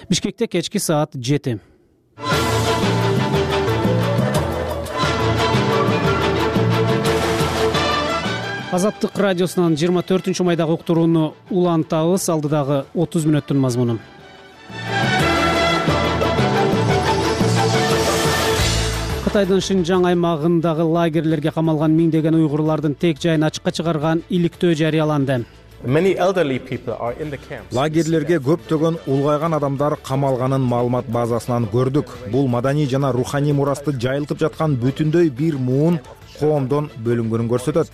Бишкекте кечки саат 7. Азаттык радиосунан 24-майдагы уктурууну улантабыз. Алдыдагы 30 мүнөттүн мазмуну. Кытайдын Шинжаң аймагындагы лагерлерге камалган миңдеген уйгурлардын тек жайын ачыкка чыгарган иликтөө жарыяланды. Лагерлерге көптөгөн улгайган адамдар камалганын маалымат базасынан көрдүк. Бул маданий жана руханий мурасты жайылтып жаткан бүтүндөй бир муун коомдон бөлүнгөнүн көрсөтөт.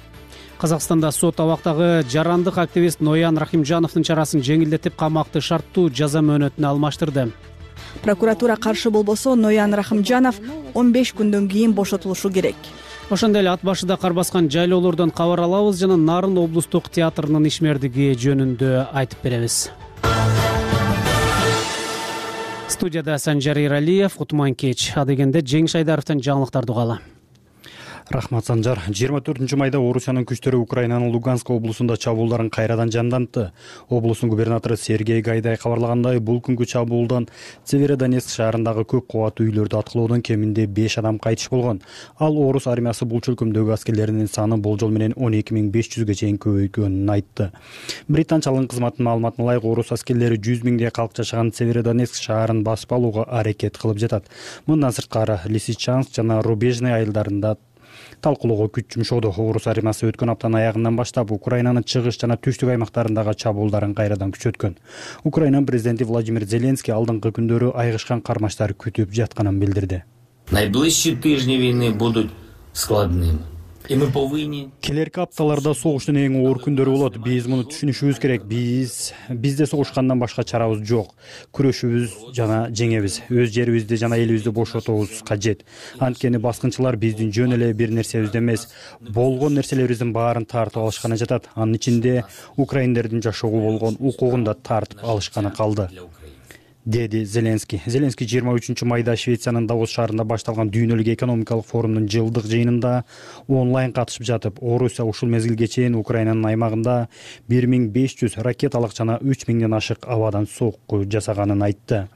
Казакстанда сот абактагы жарандык активист Ноян Рахимжановдун чарасын жеңилдетип, камакты шарттуу жаза мөөнөтүнө алмаштырды. Прокуратура каршы болбосо, Ноян Рахимжанов 15 күндөн кийин бошотулушу керек. Ошондой эле ат башыда кар баскан жайлоолордон кабар алабыз жана Нарын облустук театрынын ишмердиги жөнүндө айтып беребиз. Студияда Санжар Иралиев, Кутман кеч. Адегенде Жеңиш Айдаровдон жаңылыктарды угалы. Рахмат, Санжар. 24-майда Орусиянын күчтөрү Украинанын Луганск облусунда чабуулдарын кайрадан жандантты. Облустун губернатору Сергей Гайдай кабарлагандай, бул күнгү чабуулдан Северодонецк шаарындагы көп кабаттуу үйлөрдү аткылоодон кеминде 5 адам кайтыш болгон. Ал орус армиясы бул чөлкөмдөгү аскерлеринин саны болжол менен 12.500ге чейин көбөйгөнүн айтты. Британчалык кызматтын маалыматына ылайык, орус аскерлери 100 миңдей калк жашаган Северодонецк шаарын басып алууга аракет кылып жатат. Мындан сырткары Лисичанск жана Рубежный айылдарында талкуулоого күч жумшоодо. Орус армиясы өткөн аптанын аягынан баштап Украинанын чыгыш жана түштүк аймактарындагы чабуулдарын кайрадан күчөткөн. Украина президенти Владимир Зеленский алдыңкы күндөрү айгышкан кармаштар күтүп жатканын билдирди. Найближчие тижни войны будут складными. Келерки апталарда согуштун эң оор күндөрү болот. Биз муну түшүнүшүбүз керек. Бизде согушкандан башка чарабыз жок. Күрөшүбүз жана жеңебиз. Өз жерибизди жана элибизди бошотобуз кажет. Анткени баскынчылар биздин жөн эле бир нерсебизди эмес, болгон нерселерибиздин баарын тартып алышканы жатат. Анын ичинде украиндердин жашоого болгон укугун да тартып алышканы калды, деди Зеленский. Зеленский 23-майда Швециянын Давос шаарында башталган дүйнөлүк экономикалык форумдун жылдык жыйынында онлайн катышып жатып, Орусия ушул мезгилге чейин Украинанын аймагында 1500 ракеталык жана 3000ден ашык абадан сокку жасаганын айтты.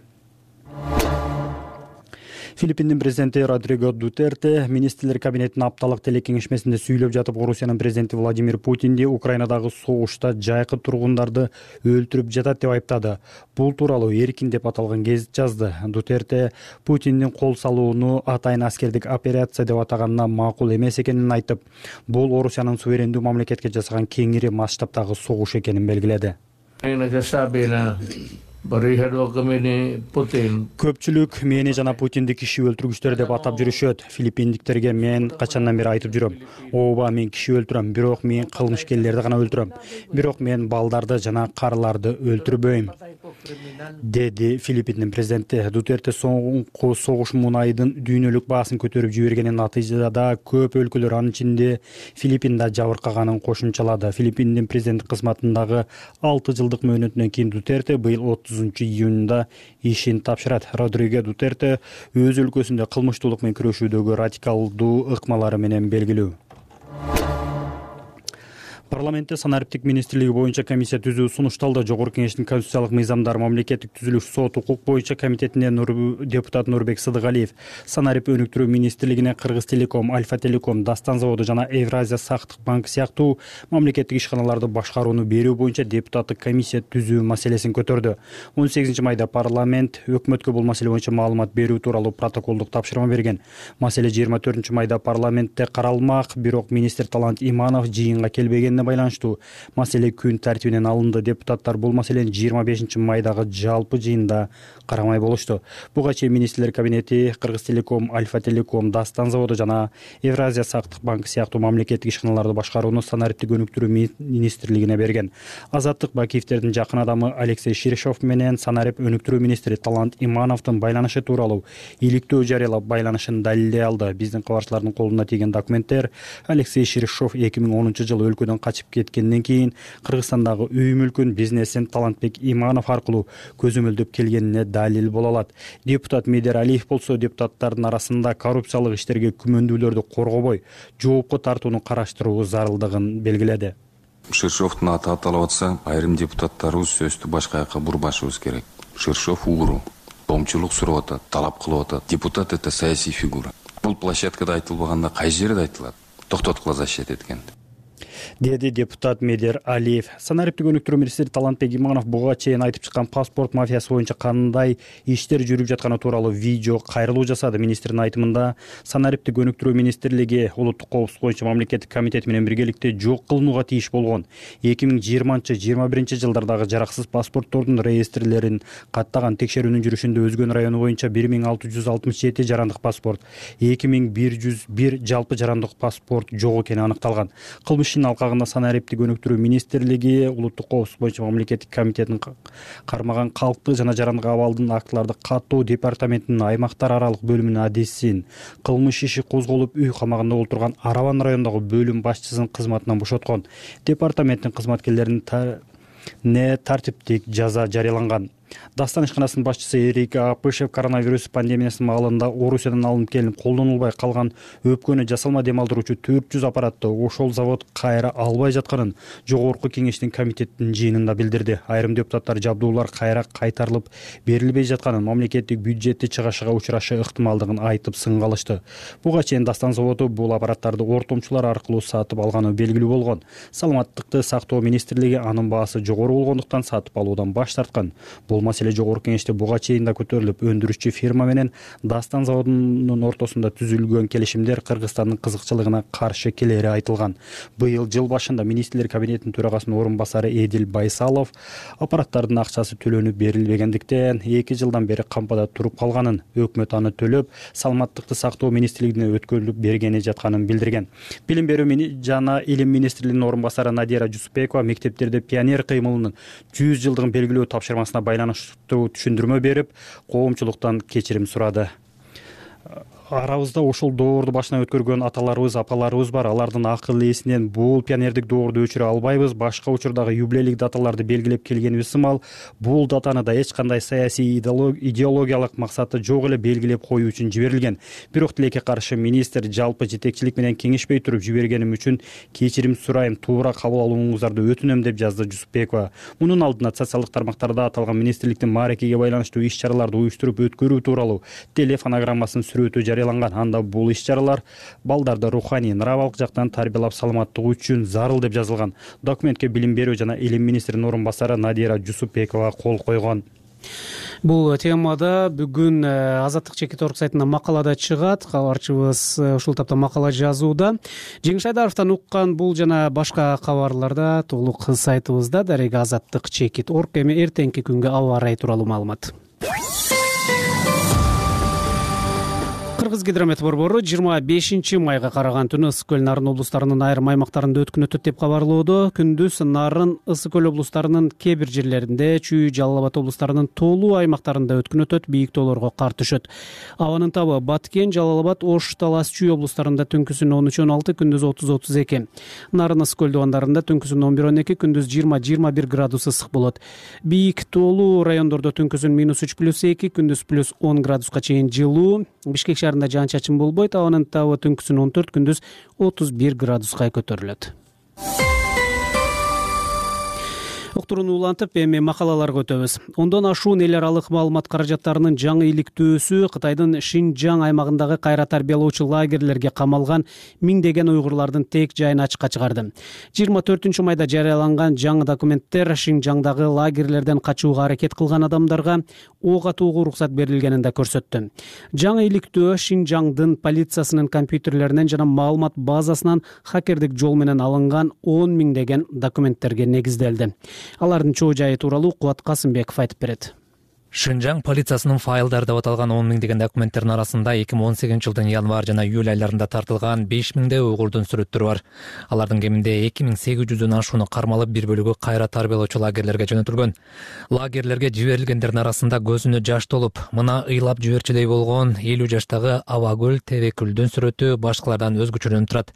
Филиппиндин президенти Родриго Дутерте министрлер кабинетинин апталык телекеңешмесинде сүйлөп жатып, Орусиянын президенти Владимир Путинди Украинадагы согушта жайкы тургундарды өлтүрүп жатат деп айыптады. Бул тууралуу Эркин деп аталган гезит жазды. Дутерте Путиндин кол салууну атайын аскердик операция деп атаганына макул эмес экенин айтып, бул Орусиянын суверендүү мамлекетке жасаган кеңири масштабтагы согуш экенин белгиледи. Көпчүлүк мени жана Путинди киши өлтүргүчтөр деп атап жүрүшөт. Филиппиндиктерге мен качандан бери айтып жүрөм. Ооба, мен киши өлтүрөм, бирок мен кылмышкерлерди гана өлтүрөм. Бирок мен балдарды жана карыларды өлтүрбөйм, деди Филиппиндин президенти. Дутерте соңку согуш мунайдын дүйнөлүк баасын көтөрүп жибергенин натыйжада көп өлкөлөр, анын ичинде Филиппинда жабыркаганын кошумчалады. Филиппиндин президенттик кызматындагы 6 жылдык мөөнөтүнөн кийин Дутерте быйыл 30-июнда ишин тапшырат. Родриго Дутерте өз өлкөсүндө кылмыштуулук менен күрөшүүдөгү радикалдуу ыкмалары менен белгилүү. Парламентте санариптик министрлиги боюнча комиссия түзүү сунушталды. Жогорку кеңештин конституциялык мыйзамдар, мамлекеттик түзүлүш, сот, укук боюнча комитетинен депутат Нурбек Сыдыгалиев санарип өнүктүрүү министрлигине Кыргыз Телеком, Альфа Телеком, Дастан заводу жана Евразия сактык банк сыяктуу мамлекеттик ишканаларды башкарууну берүү боюнча депутаттык комиссия түзүү маселесин көтөрдү. 18-майда парламент өкмөткө бул маселе боюнча маалымат берүү тууралуу протоколдук тапшырма берген. Маселе 24-майда парламентте каралмак, бирок министр Талант Иманов жыйынга келбегенине байланыштуу маселе күн тартибинен алынды. Депутаттар бул маселени 25-майдагы жалпы жыйында карамай болушту. Буга чейин министрлер кабинети Кыргыз Телеком, Альфа Телеком, Дастан заводу жана Евразия сактык банк сыяктуу мамлекеттик ишканаларды башкарууну санариптик өнүктүрүү министрлигине берген. Азаттык Бакиевдердин жакын адамы Алексей Ширешов менен санарип өнүктүрүү министри Талант Имановдун байланышы тууралуу иликтөө жарыялап байланышын далилдей алды. Биздин кабарчылардын колуна тийген документтер Алексей Ширешов 2010-жылы өлкөдөн качып кеткенден кийин Кыргызстандагы үй мүлкүн, бизнесин Талантбек Иманов аркылуу көзөмөлдөп келгенине далил боло алат. Депутат Медер Алиев болсо депутаттардын арасында коррупциялык иштерге күмөндүүлөрдү коргобой, жоопко тартууну караштыруу зарылдыгын белгиледи. Ширешовдун аты аталып атса, айрым депутаттарыбыз сөздү башка жака бурбашыбыз керек. Шершов угру, коомчулук сурап атат, талап кылып атат. Депутат это саясий фигура. Бул площадкада айтылбаганда кай жерде айтылат? Токтоткула защит эткен. Деди депутат Медер Алиев. Санариптик өнүктүрүү министри Талантбек Иманов буга чейин айтып чыккан паспорт мафиясы боюнча кандай иштер жүрүп жатканы тууралуу видео кайрылуу жасады. Министрдин айтымында санариптик өнүктүрүү министрлиги улуттук коопсуздук боюнча мамлекеттик комитет менен биргеликте жок кылынууга тийиш болгон 2020-21 жылдардагы жараксыз паспорттордун реестрлерин каттаган текшерүүнүн жүрүшүндө Өзгөн району боюнча 1667 жарандык паспорт, 2101 жалпы жарандык паспорт жок экени аныкталган. Кылмыштын алкагында санариптик өнүктүрүү министрлиги улуттук коопсуздук боюнча мамлекеттик комитетин кармаган калктык жана жарандык абалдын актыларды каттоо департаментинин аймактар аралык бөлүмүнүн адисин кылмыш иши козголуп үй камагында отурган Араван районундагы бөлүм башчысынын кызматынан бошоткон. Департаменттин кызматкерлерине тартиптик жаза жарыяланган. Дастан ишканасынын башчысы Эрик Апышев коронавирус пандемиясынын маалында Орусиядан алынып келип колдонулбай калган өпкөнү жасалма дем алдыруучу 400 аппаратты ошол завод кайра албай жатканын жогорку кеңештин комитеттин жыйынында билдирди. Айрым депутаттар жабдуулар кайра кайтарылып берилбей жатканын, мамлекеттик бюджетти чыгашыга учурашы ыктымалдыгын айтып сынга алышты. Буга чейин Дастан заводу бул аппараттарды ортомчулар аркылуу сатып алганы белгилүү болгон. Саламаттыкты сактоо министрлиги анын баасы жогору болгондуктан сатып алуудан баш тарткан. Бул маселе жогорку кеңеште буга чейин да көтөрүлүп, өндүрүшчү фирма менен Дастан заводунун ортосунда түзүлгөн келишимдер Кыргызстандын кызыкчылыгына каршы келери айтылган. Быйыл жыл башында министрлер кабинетинин төрагасынын орун басары Эдил Байсалов аппараттардын акчасы төлөнүп берилбегендиктен 2 жылдан бери кампада туруп калганын, өкмөт аны төлөп, саламаттыкты сактоо министрлигине өткөрүлүп бергени жатканын билдирген. Билим берүү жана илим министрлигинин орун басары Надира Жусупбекова мектептерде пионер кыймылынын 100 жылдыгын белгилөө тапшырмасына байланыштуу түшүндүрмө берип, коомчулуктан кечирим сурады. Арабызда ошол доорду башынан өткөргөн аталарыбыз, апаларыбыз бар. Алардын акыл эсинен бул пионердик доорду өчүрө албайбыз. Башка учурдагы юбилейлик даталарды белгилеп келгенибиз сымал, бул датаны да эч кандай саясий идеологиялык максаты жок эле белгилеп коюу үчүн жиберилген. Бирок тилекке каршы министр жалпы жетекчилик менен кеңешпей туруп жибергеним үчүн кечирим сурайм, туура кабыл алууңуздарды өтүнөм деп жазды Жусупбекова. Мунун алдында социалдык тармактарда аталган министрликтин мааракеге байланыштуу иш-чараларды уюштуруп өткөрүү тууралуу телефонограммасынын сүрөтү жарыяланган. Анда бул иш-чаралар балдарды руханий, нравалык жактан тарбиялап саламаттыгы үчүн зарыл деп жазылган. Документке билим берүү жана илим министринин орун басары Надира Жусупбекова кол койгон. Бул темада бүгүн Азаттык чекит орг сайтында макалада чыгат. Кабарчыбыз ушул тапта макала жазууда. Жеңиш Айдаровдон уккан бул жана башка кабарларда толук сайтыбызда дареги Азаттык чекит орг. Эми эртеңки күнгө аба ырайы тууралуу маалымат. Кыргызгидромет борбору 25 майга караган түнү Ысык көл Нарын облустарынын айрым аймактарында өткөн өтөт деп кабарлоодо. Күндүз Нарын, Ысык көл облустарынын кээ бир жерлеринде, Чүй, Жалал Абад облустарынын тоолуу аймактарында өткөн өтөт, бийик тоолорго кар түшөт. Абанын табы Баткен, Жалал Абад, Ош, Талас, Чүй облустарында түнкүсүн 13-16, күндүз 30-32. Нарын, Ысык көл дубандарында түнкүсүн 11-12, күндүз 20-21 градус ысык болот. Бийик тоолуу райондордо түнкүсүн -3+2, күндүз +10 градуска чейин жылуу. Бишкек шаарында жаан-чачын болбойт. Абанын табы түнкүсүн 14, күндүз 31 градуска көтөрүлөт. Уктурууну улантып, эми макалаларга өтөбүз. Ондон ашуун эл аралык маалымат каражаттарынын жаңы иликтөөсү Кытайдын Шинжаң аймагындагы кайра тарбиялоочу лагерлерге камалган миңдеген уйгурлардын тек жайын ачыкка чыгарды. 24-майда жарыяланган жаңы документтер Шинжаңдагы лагерлерден качууга аракет кылган адамдарга ок атууга уруксат берилгенин да көрсөттү. Жаңы иликтөө Шинжаңдын полициясынын компьютерлеринен жана маалымат базасынан хакердик жол менен алынган 10 миңдеген документтерге негизделди. Алардын чоо жайы тууралуу Кубат Касымбеков айтып берет. Шинжаң полициясынын файлдары деп аталган 10 миңдеген документтердин арасында 2018 жылдын январ жана июль айларында тартылган 5 миңдей уйгурдун сүрөттөрү бар. Алардын кеминде 2800дөн ашууну кармалып, бир бөлүгү кайра тарбиялоочу лагерлерге жөнөтүлгөн. Лагерлерге жиберилгендердин арасында көзүнө жаш толуп, мына ыйлап жиберчүдөй болгон 50 жаштагы Абагүл Тебекүлдүн сүрөтү башкалардан өзгөчөлөнүп турат.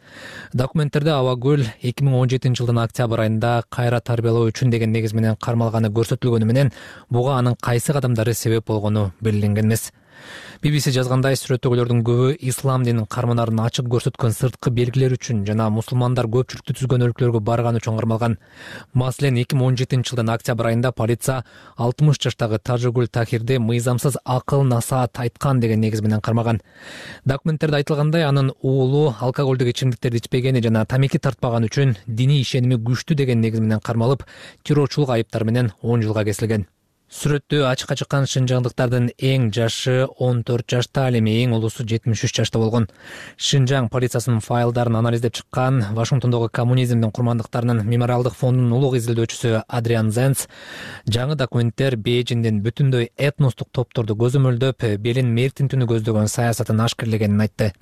Документтерде Абагүл 2017 жылдын октябрь айында кайра тарбиялоо үчүн деген негиз менен кармалганы көрсөтүлгөнү менен, буга анын кайсы адамдары себеп болгону белгиленген эмес. BBC жазгандай, сүрөттөгүлөрдүн көбү ислам динин карманарын ачык көрсөткөн сырткы белгилер үчүн жана мусулмандар көпчүлүктү түзгөн өлкөлөргө барган үчүн кармалган. Маселен, 2017 жылдын октябрь айында полиция 60 жаштагы Тажыгүл Тахирди мыйзамсыз акыл насаат айткан деген негиз менен кармаган. Документтерде айтылгандай, анын уулу алкоголдук ичимдиктерди ичпегени жана тамеки тартпаган үчүн диний ишеними күчтүү деген негиз менен кармалып, террорчулук айыптары менен 10 жылга кесилген. Сүрөттө ачыкка чыккан шынжаңдыктардын эң жашы 14 жашта, ал эми эң улусу 73 жашта болгон. Шинжаң полициясынын файлдарын анализдеп чыккан Вашингтондогу коммунизмдин курмандыктарынын мемориалдык фондунун улук изилдөөчүсү Адриан Зенц жаңы документтер Бейжиңдин бүтүндөй этностук топторду көзөмөлдөп, белин мертинтүүнү көздөгөн саясатын ашкерлегенин айтты.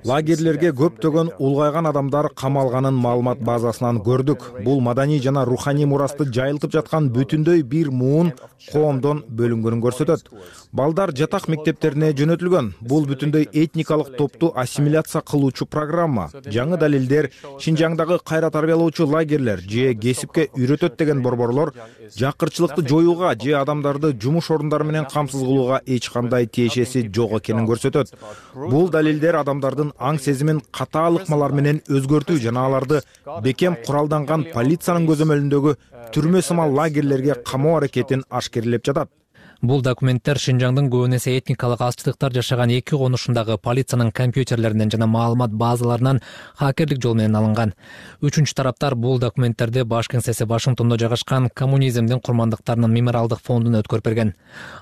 Лагерлерге көптөгөн улгайган адамдар камалганын маалымат базасынан көрдүк. Бул маданий жана руханий мурасты жайылтып жаткан бүтүндөй бир муун коомдон бөлүнгөнүн көрсөтөт. Балдар жатак мектептерине жөнөтүлгөн. Бул бүтүндөй этникалык топту ассимиляция кылуучу программа. Жаңы далилдер Шинжаңдагы кайра тарбиялоочу лагерлер же кесипке үйрөтөт деген борборлор жакырчылыкты жоюуга же адамдарды жумуш орундары менен камсыз кылууга эч кандай тиешеси жок экенин көрсөтөт. Бул далилдер адамдардын аң сезимин катаал ыкмалар менен өзгөртүү жана аларды бекем куралданган полициянын көзөмөлүндөгү түрмө сымал лагерлерге камоо аракетин ашкерлеп жатат. Бул документтер Шинжаңдын көбүнесе этникалык алчтыктар жашаган эки конушундагы полициянын компьютерлеринен жана маалымат базаларынан хакерлик жол менен алынган. Үчүнчү тараптар бул документтерди баш кеңсеси Вашингтондо жайгашкан коммунизмдин курмандыктарынын мемориалдык фондуна өткөрүп берген.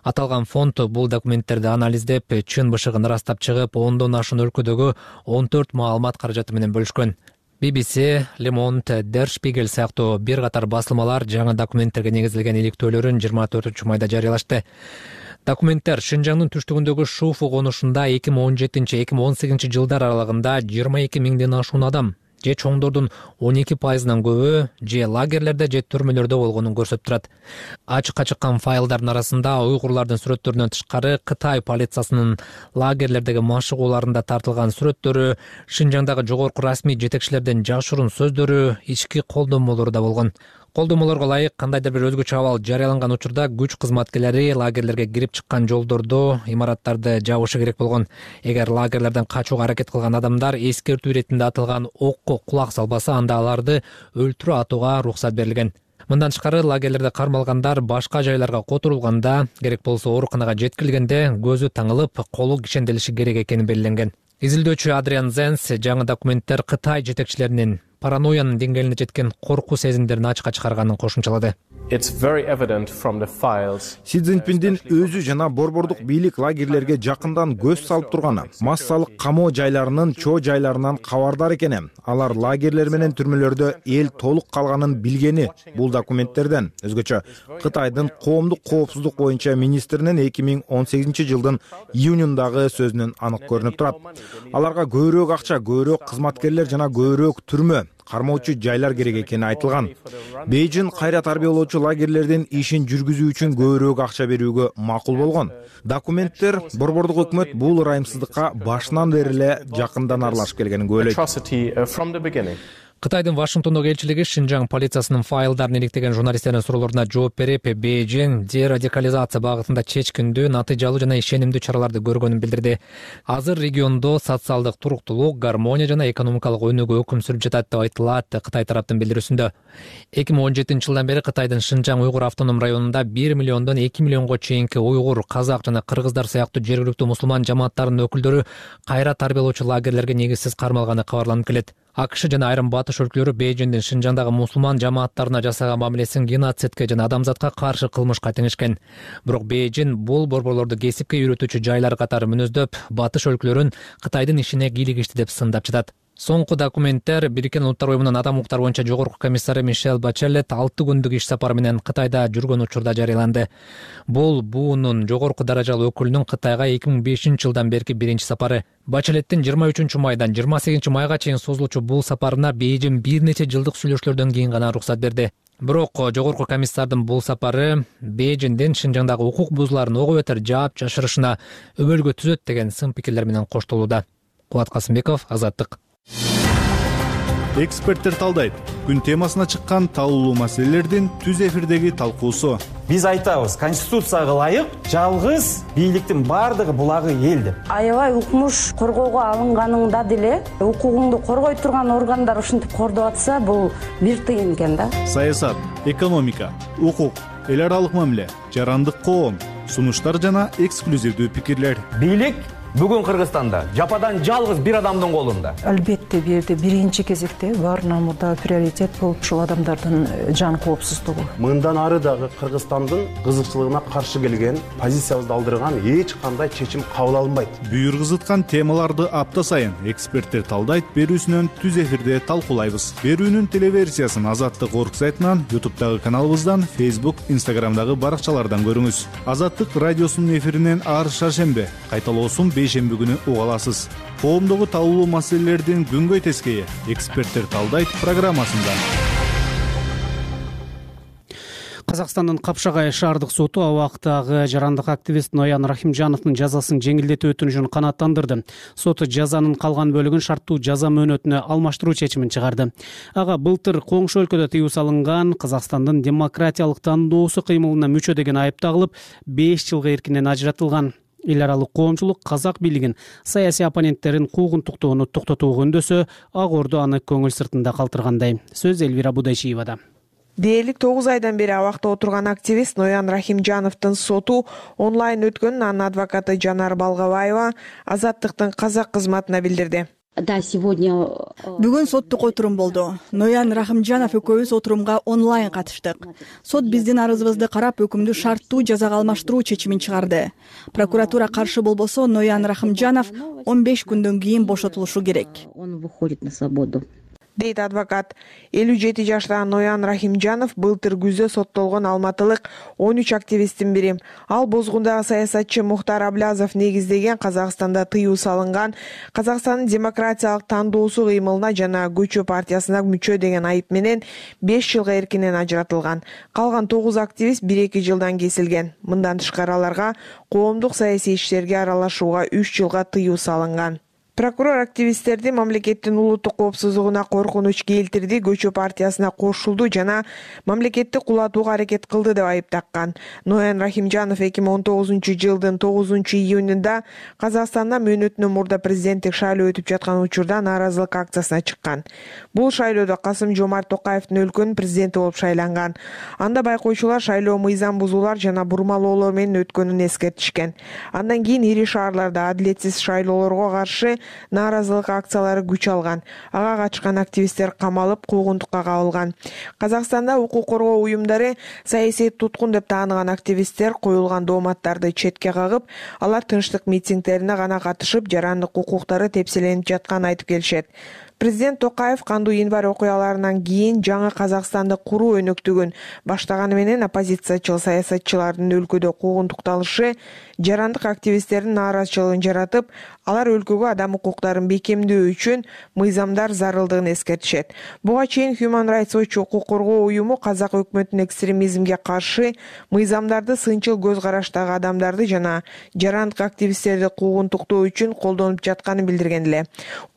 Аталган фонд бул документтерди анализдеп, чын бышыгын ырастап чыгып, 10дон ашуун өлкөдөгү 14 маалымат каражаты менен бөлүшкөн. BBC, Le Monde, Der Spiegel сыяктуу бир катар басылмалар жаңы документтерге негизделген иликтөөлөрүн 24-майда жарыялашты. Документтер Шинжаңдын түштүгүндөгү Шуфу конушунда 2017-2018 жылдар аралыгында 22 миңден ашуун адам же чоңдордун 12%-нан көбү же лагерлерде же түрмөлөрдө болгонун көрсөтүп турат. Ачыкка чыккан файлдардын арасында уйгурлардын сүрөттөрүнөн тышкары Кытай полициясынын лагерлердеги машыгууларында тартылган сүрөттөрү, Шинжаңдагы жогорку расмий жетекчилердин жашыруун сөздөрү, ички колдомолору да болгон. Колдомолорго ылайык кандайдыр бир өзгөчө абал жарыяланган учурда күч кызматкерлери лагерлерге кирип чыккан жолдорду, имараттарды жабышы керек болгон. Эгер лагерлерден качууга аракет кылган адамдар эскертүү иретинде атылган окко кулак салбаса, анда аларды өлтүрүү атууга уруксат берилген. Мындан тышкары лагерлерде кармалгандар башка жайларга которулганда, керек болсо ооруканага жеткирилгенде көзү таңылып, колу кишенделиши керек экени белгиленген. Изилдөөчү Адриан Зенс жаңы документтер Кытай жетекчилеринин паранойянын деңгээлине жеткен коркуу сезимдерин ачыкка чыгарганын кошумчалады. Си Цзиньпиндин өзү жана борбордук бийлик лагерлерге жакындан көз салып турганы, массалык камоо жайларынын чоо жайларынан кабардар экени, алар лагерлер менен түрмөлөрдө эл толук калганын билгени бул документтерден. Өзгөчө Кытайдын коомдук коопсуздук боюнча министринин 2018 жылдын июнундагы сөзүнөн анык көрүнүп турат. Аларга көбүрөөк акча, көбүрөөк кызматкерлер жана көбүрөөк түрмө, кармоочу жайлар керек экени айтылган. Бейжиң кайра тарбиялоочу лагерлердин ишин жүргүзүү үчүн көбүрөөк акча берүүгө макул болгон. Документтер борбордук өкмөт бул ырайымсыздыкка башынан бери эле жакындан аралашып келгенин күбөлөйт. Кытайдын Вашингтондогу элчилиги Шинжаң полициясынын файлдарын иликтеген журналисттердин суроолоруна жооп берип, Бейжиң дерадикализация багытында чечкиндүү, натыйжалуу жана ишенимдүү чараларды көргөнүн билдирди. Азыр региондо социалдык туруктуулук, гармония жана экономикалык өнүгүү өкүм сүрүп жатат деп айтылат Кытай тараптын билдирүүсүндө. 2017 жылдан бери Кытайдын Шинжаң уйгур автоном районунда 1 миллиондон 2 миллионго чейинки уйгур, казак жана кыргыздар сыяктуу жергиликтүү мусулман жамааттарынын өкүлдөрү кайра тарбиялоочу лагерлерге негизсиз кармалганы кабарланып келет. АКШ жана айрым батыш өлкөлөрү Бейжиңдин Шинжаңдагы мусулман жамааттарына жасаган мамилесин геноцидке жана адамзатка каршы кылмышка теңишкен. Бирок Бейжиң бул борборлорду кесипке үйрөтүүчү жайлар катары мүнөздөп, батыш өлкөлөрүн Кытайдын ишине кийлигишти деп сындап жатат. Соңку документтер Бириккен Улуттар уюмунун адам укуктары боюнча жогорку комиссары Мишель Бачелет 6 күндүк иш сапары менен Кытайда жүргөн учурда жарыяланды. Бул буунун жогорку даражалуу өкүлүнүн Кытайга 2005 жылдан берки биринчи сапары. Бачелеттин 23 майдан 28 майга чейин созулуучу бул сапарына Бейжиң бир нече жылдык сүйлөшүүлөрдөн кийин гана уруксат берди. Бирок жогорку комиссардын бул сапары Бейжиңдин Шинжаңдагы укук бузууларын ого бетер жаап жашырышына өбөлгө түзөт деген сын пикирлер менен коштолууда. Кубат Касымбеков, Азаттык. Эксперттер талдайт. Күн темасына чыккан талуулуу маселелердин түз эфирдеги талкуусу. Биз айтабыз, конституцияга ылайык жалгыз бийликтин бардыгы булагы эл деп. Аябай укмуш коргоого алынганыңда деле укугуңду коргой турган органдар ушинтип кордоп атса, бул бир тыйын экен да. Саясат, экономика, укук, эл аралык мамиле, жарандык коом, сунуштар жана эксклюзивдүү пикирлер. Бийлик бүгүн Кыргызстанда жападан жалгыз бир адамдын колунда. Албетте бул жерде биринчи кезекте баарынан мурда приоритет болуп ушул адамдардын жан коопсуздугу. Мындан ары дагы Кыргызстандын кызыкчылыгына каршы келген, позициябызды алдырган эч кандай чечим кабыл алынбайт. Бүйүргүзыткан темаларды апта сайын эксперттер талдайт берүүсүнөн түз эфирде талкуулайбыз. Берүүнүн телеверсиясын Азаттык орг сайтынан, YouTube'дагы каналыбыздан, Facebook, Instagram'дагы баракчалардан көрүңүз. Азаттык радиосунун эфиринен ар шаршембе, кайталоосун бейшемби күнү уга аласыз. Коомдогу талуулуу маселелердин күнгөй тескейи эксперттер талдайт программасында. Казакстандын Капшагай шаардык соту абактагы жарандык активист Ноян Рахимжановдун жазасын жеңилдетүү өтүнүшүн канааттандырды. Сот жазанын калган бөлүгүн шарттуу жаза мөөнөтүнө алмаштыруу чечимин чыгарды. Ага былтыр коңшу өлкөдө тыюу салынган Казакстандын демократиялык тандоосу кыймылына мүчө деген айып тагылып, 5 жылга эркинен ажыратылган. Эл аралык коомчулук казак бийлигин саясий оппоненттерин куугунтуктоону токтотууга үндөсө, Ак Ордо аны көңүл сыртында калтыргандай. Сөз Элвира Будайчиевада. Дээрлик 9 айдан бери абакта отурган активист Ноян Рахимжановдун соту онлайн өткөнүн анын адвокаты Жанар Балгабаева Азаттыктын казак кызматына билдирди. Да, сегодня бүгүн соттук отурум болду. Ноян Рахимжанов экөөбүз отурумга онлайн катыштык. Сот биздин арызыбызды карап, өкүмдү шарттуу жазага алмаштыруу чечимин чыгарды. Прокуратура каршы болбосо, Ноян Рахимжанов 15 күндөн кийин бошотулушу керек. Он выходит на свободу. Дейт адвокат. 57 жаштагы Ноян Рахимжанов былтыр күздө соттолгон алматылык 13 активисттин бири. Ал бозгундагы саясатчы Мухтар Аблязов негиздеген Казакстанда тыюу салынган Казакстандын демократиялык тандоосу кыймылына жана Көчө партиясына мүчө деген айып менен 5 жылга эркинен ажыратылган. Калган 9 активист 1-2 жылдан кесилген. Мындан тышкары аларга коомдук саясий иштерге аралашууга 3 жылга тыюу салынган. Прокурор активисттерди мамлекеттин улуттук коопсуздугуна коркунуч келтирди, Көчө партиясына кошулду жана мамлекетти кулатууга аракет кылды деп айыптаккан. Ноян Рахимжанов 2019-жылдын 9-июнунда Казакстанда мөөнөтүнөн мурда президенттик шайлоо өтүп жаткан учурда нааразылык акциясына чыккан. Бул шайлоодо Касым-Жомарт Токаевдин өлкөнүн президенти болуп шайланган. Анда байкоочулар шайлоо мыйзам бузуулар жана бурмалоолор менен өткөнүн эскертишкен. Андан кийин ири шаарларда адилетсиз шайлоолорго каршы нааразылык акциялары күч алган. Ага катышкан активисттер камалып, куугунтукка кабылган. Казакстанда укук коргоо уюмдары саясий туткун деп тааныган активисттер коюлган дооматтарды четке кагып, алар тынчтык митингдерине гана катышып, жарандык укуктары тепселенип жатканын айтып келишет. Президент Токаев кандуу январь окуяларынан кийин жаңы Казакстанды куруу өнөктүгүн баштаганы менен оппозициячыл саясатчылардын өлкөдө куугунтукталышы жарандык активисттердин нааразычылыгын жаратып, алар өлкөгө адам укуктарын бекемдөө үчүн мыйзамдар зарылдыгын эскертишет. Буга чейин Human Rights Watch укук коргоо уюму казак өкмөтүнүн экстремизмге каршы мыйзамдарды сынчыл көз караштагы адамдарды жана жарандык активисттерди куугунтуктоо үчүн колдонуп жатканын билдирген эле.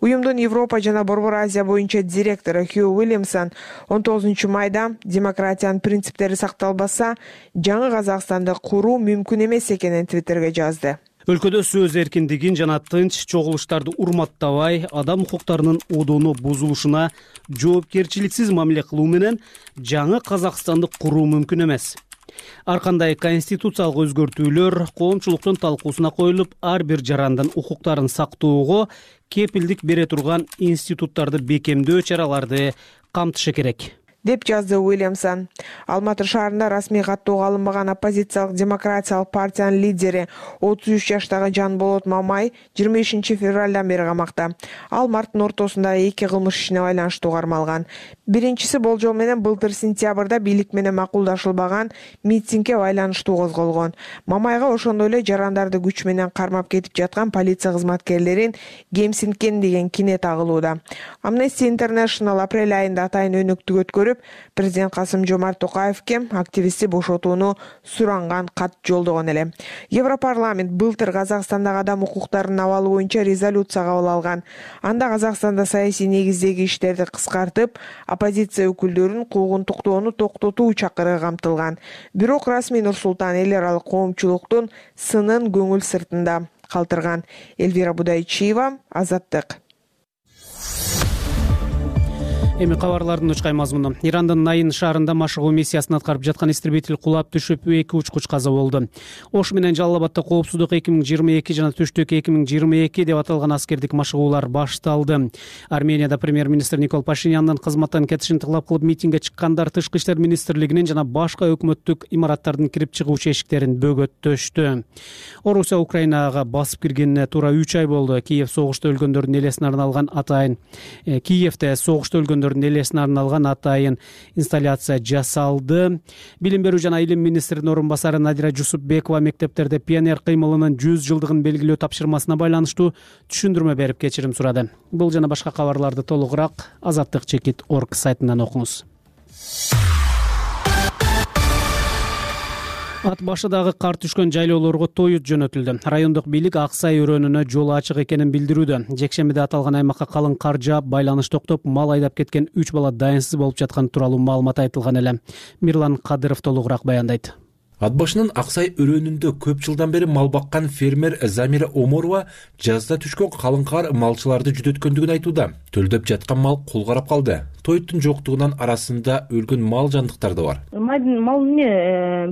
Уюмдун Европа жана Борбор Азия боюнча директору Хью Уильямсон 19 майда демократиянын принциптери сакталбаса, жаңы Казакстанды куруу мүмкүн эмес экенин Твиттерге жазды. Өлкөдө сөз эркиндигин жана тынч чогулуштарды урматтабай, адам укуктарынын одону бузулушуна жоопкерчиликсиз мамиле кылуу менен жаңы Казакстанды куруу мүмкүн эмес. Ар кандай конституциялык өзгөртүүлөр коомчулуктун талкуусуна коюлуп, ар бир жарандын укуктарын сактоого кепилдик бере турган институттарды бекемдөө чараларды камтышы керек, деп жазды Уильямсон. Алматы шаарында расмий каттоого алынбаган оппозициялык демократиялык партиянын лидери 33 жаштагы Жанболот Мамай 25 февралдан бери камакта. Ал марттын ортосунда 2 кылмыш ишине байланыштуу кармалган. Биринчиси болжол менен былтыр сентябрда бийлик менен макулдашылбаган митингге байланыштуу козголгон. Мамайга ошондой эле жарандарды күч менен кармап кетип жаткан полиция кызматкерлерин кемсинткен деген кине тагылууда. Amnesty International апрель айында атайын өнөктүк өткөрүп, көрүп, президент Касым-Жомарт Токаевке активистти бошотууну суранган кат жолдогон эле. Европарламент былтыр Казакстандагы адам укуктарынын абалы боюнча резолюция кабыл алган. Анда Казакстанда саясий негиздеги иштерди кыскартып, оппозиция өкүлдөрүн куугунтуктоону токтотуу чакырыгы камтылган. Бирок расмий Нур-Султан эл аралык коомчулуктун сынын көңүл сыртында калтырган. Элвира Будайчиева, Азаттык. Эми кабарлардын учкай мазмуну. Ирандын Найын шаарында машыгуу миссиясын аткарып жаткан истребитель кулап түшүп, 2 учкуч каза болду. Ош менен Жалал Абадда коопсуздук 2022 жана Түштүк 2022 деп аталган аскердик машыгуулар башталды. Арменияда премьер-министр Никол Пашинянын кызматтан кетишин талап кылып митингге чыккандар Тышкы иштер министрлигинин жана башка өкмөттүк имараттардын кирип чыгуучу эшиктерин бөгөттөштү. Орусия Украинага басып киргенине туура 3 ай болду. Киевде согушта өлгөндөрдүн элесине арналган атайын инсталляция жасалды. Билим берүү жана илим министринин орун басары Надира Жусупбекова мектептерде пионер кыймылынын 100 жылдыгын белгилөө тапшырмасына байланыштуу түшүндүрмө берип кечирим сурады. Бул жана башка кабарларды толугураак azattik.org сайтынан окуңуз. Ат башыдагы кар түшкөн жайлоолорго тоют жөнөтүлдү. Райондук бийлик Аксай өрөөнүнө жол ачык экенин билдирүүдө. Жекшембиде аталган аймакка калың кар жаап, байланыш токтоп, мал айдап кеткен 3 бала дайынсыз болуп жатканы тууралуу маалымат айтылган эле. Мирлан Кадыров толугураак баяндайт. Ат башынын Аксай өрөөнүндө көп жылдан бери мал баккан фермер Замира Оморова жазда түшкөн калың кар малчыларды жүдөткөндүгүн айтууда. Төлдөп жаткан мал кол карап калды. Тоюттун жоктугунан арасында өлгөн мал жандыктар да бар. Мал эмне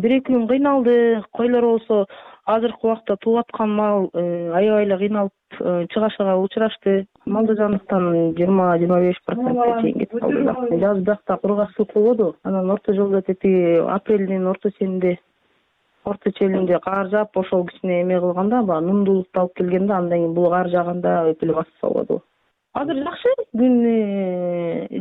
1-2 күн кыйналды. Койлор болсо азыркы убакта тууп аткан мал аябай эле кыйналып чыгашага учурашты. Малды жандыктан 20-25% чейин кетип калды. Жаз биякта кургакчылык болду. Анан орто жолдо тети апрелдин орто челинде кар жаап, ошол кичине эме кылганда, баягы нумдуулукту алып келгенде, андан кийин бул кар жааганда өтө эле басып салбады. Азыр жакшы, күн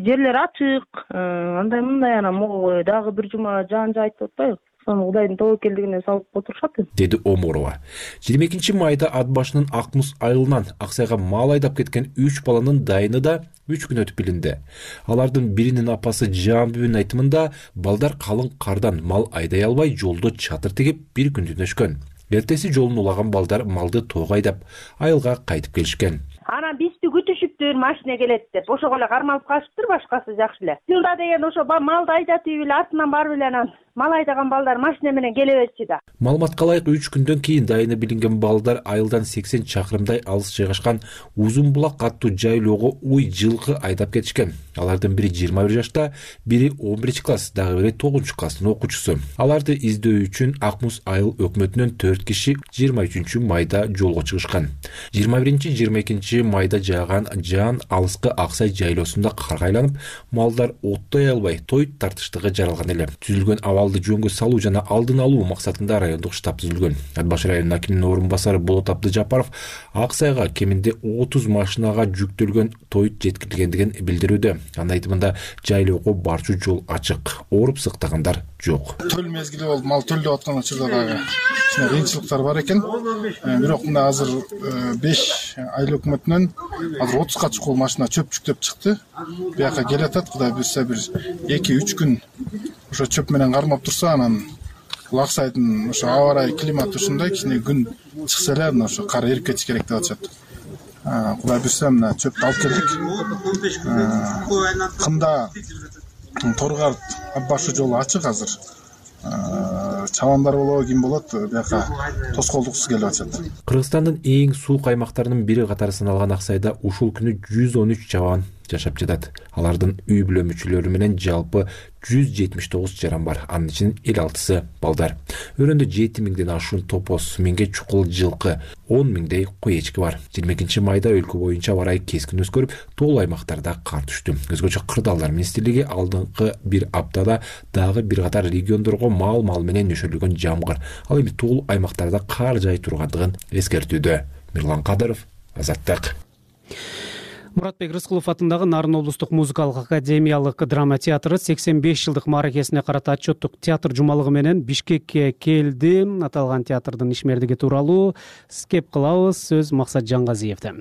жерлер ачык, андай мындай анан могу дагы бир жума жаан жаайт деп атпайбы? Сону Кудайдын тобокелдигине салып отурушат, деди Оморова. 22 майда ат башынын Акмус айылынан Аксайга мал айдап кеткен 3 баланын дайыны да 3 күн өтүп билинди. Алардын биринин апасы Жамбүбүнүн айтымында, балдар калың кардан мал айдай албай жолдо чатыр тигип 1 күн түнөшкөн. Эртеси жолун улаган балдар малды тоого айдап, айылга кайтып келишкен. Анан бизди күтүшүптүр, машина келет деп. Ошого эле кармалып калышыптыр, башкасы жакшы эле. Жылда деген ошо малды айдатып эле артынан барып эле анан мал айдаган балдар машина менен келе берчү да. Маалыматка ылайык 3 күндөн кийин дайыны билинген балдар айылдан 80 чакырымдай алыс жайгашкан Узун Булак аттуу жайлоого уй жылкы айдап кетишкен. Алардын бири 21 жашта, бири 11 класс, дагы бири 9 класстын окуучусу. Аларды издөө үчүн Акмус айыл өкмөтүнөн 4 киши 23 майда жолго чыгышкан. 21-22 майда жааган жаан алыскы Аксай жайлоосунда карга айланып, малдар оттой албай тоют тартыштыгы жаралган эле. Түзүлгөн абалды жөнгө салуу жана алдын алуу максатында райондук штаб түзүлгөн. Ат башы районунун акиминин орун басары Болот Абдыжапаров Аксайга кеминде 30 машинага жүктөлгөн тоют жеткирилгендигин билдирүүдө. Анын айтымында жайлоого барчу жол ачык, ооруп сыктагандар жок. Төл мезгили болду, мал төлдөп аткан учурда дагы кыйынчылыктар бар экен. Бирок мына азыр 5 айыл өкмөтүнөн азыр 30га чукул машина чөп жүктөп чыкты. Бияка келатат, Кудай буйрса бир 2-3 күн ошо чөп менен кармап турса, анан Аксайдын ошо аба ырайы климаты ушундай, кичине күн чыкса эле анан ошо кар эрип кетиш керек деп атышат. Кудай буйрса мына чөптү алып келдик. Кымда Торгар ат башы жолу ачык азыр. Чабандар болобу, ким болот, бияка тоскоолдуксуз келип атышат. Кыргызстандын эң суук аймактарынын бири катары саналган Аксайда ушул күнү 113 чабан жашап жатат. Алардын үй бүлө мүчөлөрү менен жалпы 179 жаран бар. Анын ичинин 56сы балдар. Өрөндө 7000ден ашуун топоз, 1000ге чукул жылкы, 10.000дей кой эчки бар. 22 майда өлкө боюнча аба ырайы кескин өзгөрүп, тоол аймактарда кар түштү. Өзгөчө Кырдаалдар министрлиги алдыңкы бир аптада дагы бир катар региондорго мал менен нөшөлгөн жамгыр, ал эми тоол аймактарда кар жай тургандыгын эскертүүдө. Мирлан Кадыров, Азаттык. Муратбек Рыскулов атындагы Нарын облустук музыкалык академиялык драма театры 85 жылдык мааракесине карата отчеттук театр жумалыгы менен Бишкекке келди. Аталган театрдын ишмердиги тууралуу кеп кылабыз. Сөз Максат Жаңгазиевде.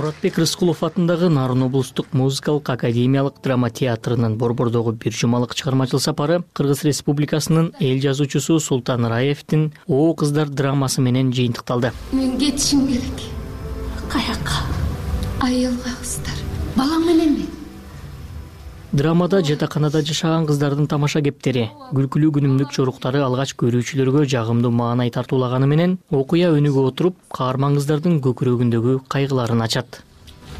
Муратбек Рыскулов атындагы Нарын облустук музыкалык академиялык драма театрынын Борбордогу бир жумалык чыгармачыл сапары Кыргыз Республикасынын эл жазуучусу Султан Раевдин О кыздар драмасы менен жыйынтыкталды. Мен кетишим керек. Каяка? Айылга кыздар. Балам менен мен. Драмада жатаканада жашаган кыздардын тамаша кептери, күлкүлүү күнүмдүк жоруктары алгач көрүүчүлөргө жагымдуу маанай тартуулаганы менен окуя өнүгө отуруп, каарман кыздардын көкүрөгүндөгү кайгыларын ачат.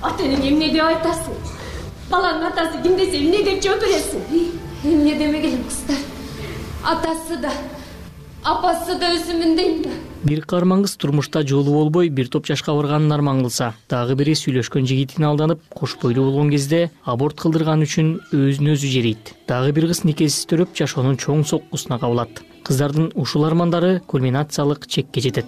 Ата энең эмне деп айтасың? Баланын атасы ким десе эмне деп жооп бересиң? Эмне демегилим кыздар? Атасы да, апасы да өзүмүн дейм да. Бир каарман кыз турмушта жолу болбой бир топ жашка барганын арман кылса, дагы бири сүйлөшкөн жигитине алданып, кош бойлуу болгон кезде аборт кылдырган үчүн өзүн өзү жерейт. Дагы бир кыз никесиз төрөп жашоонун чоң соккусуна кабылат. Кыздардын ушул армандары кульминациялык чекке жетет.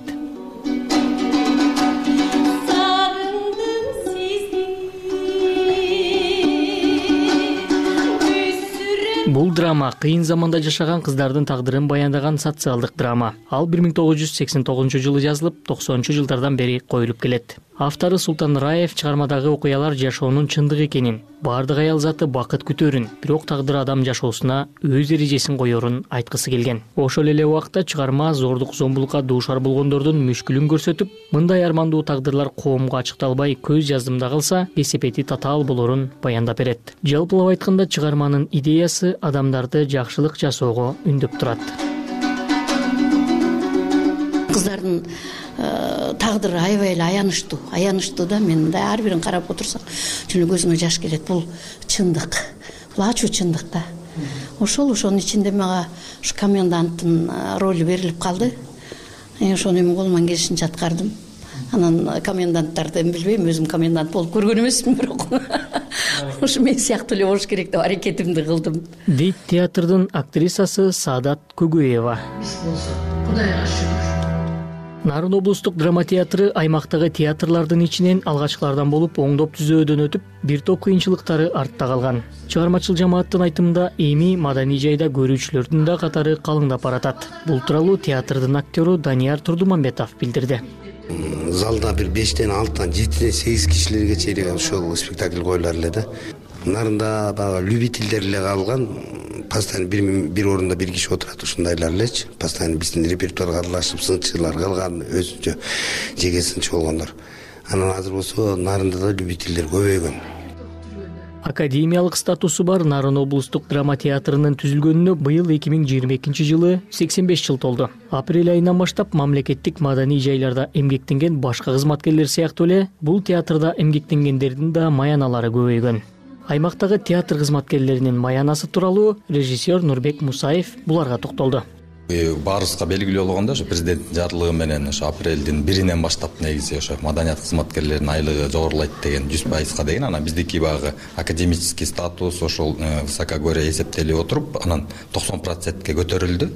Бул драма кыйын заманда жашаган кыздардын тагдырын баяндаган социалдык драма. Ал 1989-жылы жазылып, 90-жылдардан бери коюлуп келет. Автору Султан Раев чыгармадагы окуялар жашоонун чындыгы экенин, бардык аял заты бакыт күтөрүн, бирок тагдыр адам жашоосуна өз эрежесин коерун айткысы келген. Ошол эле убакта чыгарма зордук зомбулукка дуушар болгондордун мүшкүлүн көрсөтүп, мындай армандуу тагдырлар коомго ачыкталбай көз жаздымда калса, кесепети татаал болорун баяндап берет. Жалпылап айтканда чыгарманын идеясы адамдарды жакшылык жасоого үндөп турат. Кыздардын тагдыры аябай эле аянычтуу да, мен мындай ар бирин карап отурсак жөн көзүмө жаш келет. Бул чындык, бул ачуу чындык да. Ошонун ичинде мага ушу коменданттын ролу берилип калды. Ошону эми колуман келишинче аткардым. Анан коменданттарды билбейм, өзүм комендант болуп көргөн эмесмин, бирок ушу мен сыяктуу эле болуш керек деп аракетимди кылдым. Дейт театрдын актрисасы Саадат Көгөева. Кудайга шүгүр. Нарын облустук драма театры аймактагы театрлардын ичинен алгачкылардан болуп, оңдоп түзөөдөн өтүп, бир топ кыйынчылыктары артта калган. Чыгармачыл жамааттын айтымында эми маданий жайда көрүүчүлөрдүн да катары калыңдап баратат. Бул тууралуу театрдын актёру Данияр Турдумамбетов билдирди. Залда бир 5-тен 6-тан 7-тен 8 кишилерге чейин ошол спектакль коюлар эле да. Нарында баягы любительдер эле калган. Постоянно бир орунда бир киши отурат, ушундайлар элечи. Постоянно биздин репертуарга аралашып, сынчылар калган, өзүнчө жеке сынчы болгондор. Анан азыр болсо Нарында да любительдер көбөйгөн. Академиялык статусу бар Нарын облустук драма театрынын түзүлгөнүнө быйыл 2022-жылы 85 жыл толду. Апрель айынан баштап мамлекеттик маданий жайларда эмгектенген башка кызматкерлер сыяктуу эле бул театрда эмгектенгендердин да маяналары көбөйгөн. Аймактагы театр кызматкерлеринин маянасы тууралуу режиссер Нурбек Мусаев буларга токтолду. Баарыбызга белгилүү болгондой, ошо президенттин жарлыгы менен ошо апрелдин 1-инен баштап негизи ошо маданият кызматкерлеринин айлыгы жогорулайт деген 100%га деген, анан биздики багы академический статус ошол высокогорье эсептелип отуруп, анан 90%ке көтөрүлдү.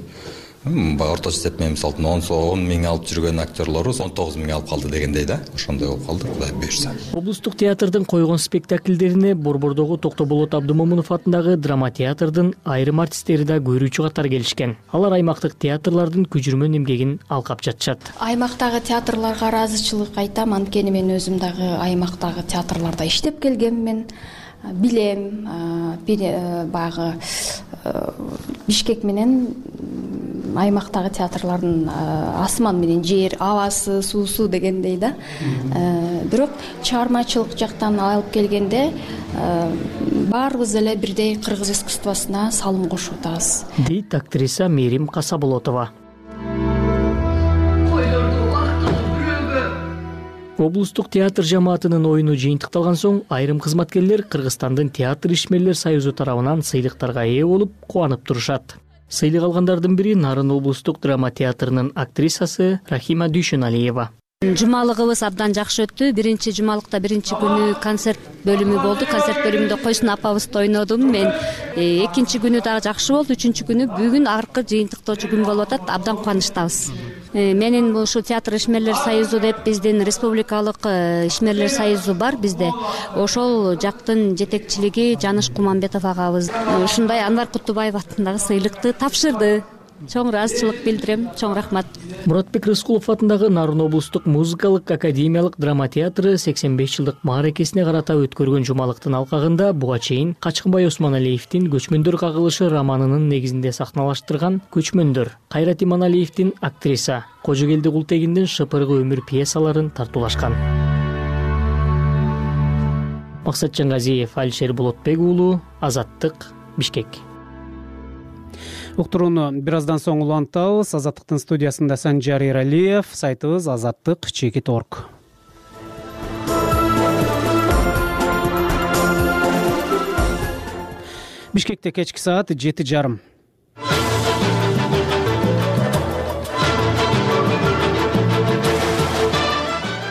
Орточо эсеп менен мисалы 10 миң алып жүргөн актерлорубуз 19 миң алып калды дегендей да. Ошондой болуп калды, Кудай буйрса. Облустук театрдын койгон спектакльдерине Борбордогу Токтоболот Абдымомунов атындагы драма театрдын айрым артисттери да көрүүчү катары келишкен. Алар аймактык театрлардын күжүрмөн эмгегин алкап жатышат. Аймактагы театрларга ыраазычылык айтам, анткени мен өзүм дагы аймактагы театрларда иштеп келгенмин. Билем, баягы Бишкек менен аймактагы театрлардын асман менен жер, абасы, суусу дегендей да. Бирок чыгармачылык жактан алып келгенде баарыбыз эле бирдей кыргыз искусствосуна салым кошуп атабыз. Дейт актриса Мерим Касаболотова. Облустук театр жамаатынын оюну жыйынтыкталган соң айрым кызматкерлер Кыргызстандын театр ишмерлер союзу тарабынан сыйлыктарга ээ болуп, кубанып турушат. Сыйлык алгандардын бири Нарын облустук драма театрынын актрисасы Рахима Дүйшөналиева. Жумалыгыбыз абдан жакшы өттү. Биринчи жумалыкта биринчи күнү концерт бөлүмү болду. Концерт бөлүмүндө Койсун апабызды ойнодум мен. Экинчи күнү дагы жакшы болду. Үчүнчү күнү бүгүн аркы жыйынтыктоочу күн болуп атат. Абдан кубанычтабыз. Менин ушу театр ишмерлер союзу деп биздин республикалык ишмерлер союзу бар бизде. Ошол жактын жетекчилиги Жаныш Куманбетов агабыз ушундай Анвар Кутубаев атындагы сыйлыкты тапшырды. чоң ыраазычылык билдирем. Чоң рахмат. Муратбек Рыскулов атындагы Нарын облустук музыкалык академиялык драма театры 85 жылдык мааракесине карата өткөргөн жумалыктын алкагында буга чейин Качкынбай Осмоналиевдин Көчмөндөр кагылышы романынын негизинде сахналаштырган Көчмөндөр, Кайрат Иманалиевдин актриса Кожогелди Култегиндин Шыпыргы өмүр пьесаларын тартуулашкан. Максат Жаңгазиев, Алишер Болотбек уулу, Азаттык, Бишкек. Уктурууну бир аздан соң улантабыз. Азаттыктын студиясында Санжар Эралиев, сайтыбыз azattik.org. Бишкекте кечки саат 7:30.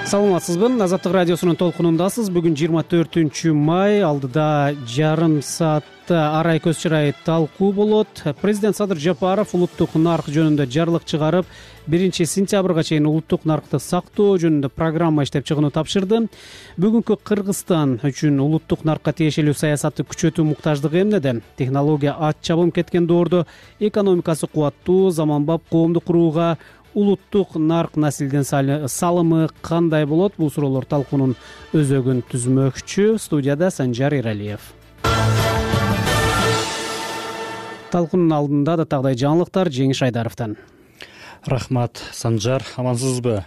Саламатсызбы? Азаттык радиосунун толкунундасыз. Бүгүн 24 май, алдыда жарым саатта арай көз чырай талкуу болот. Президент Садыр Жапаров улуттук нарк жөнүндө жарлык чыгарып, 1 сентябрга чейин улуттук наркты сактоо жөнүндө программа иштеп чыгууну тапшырды. Бүгүнкү Кыргызстан үчүн улуттук наркка тиешелүү саясатты күчөтүү муктаждыгы эмнеде? Технология ат чабым кеткен доордо экономикасы кубаттуу, заманбап коомду курууга улуттук нарк наслдин салымы кандай болот? Бул суроолор талкуунун өзөгүн түзмөкчү. Студияда Санжар Эралиев. Талкуунун алдында да тагдай жаңылыктар Жеңиш Айдаровдон. Рахмат, Санжар, амансызбы?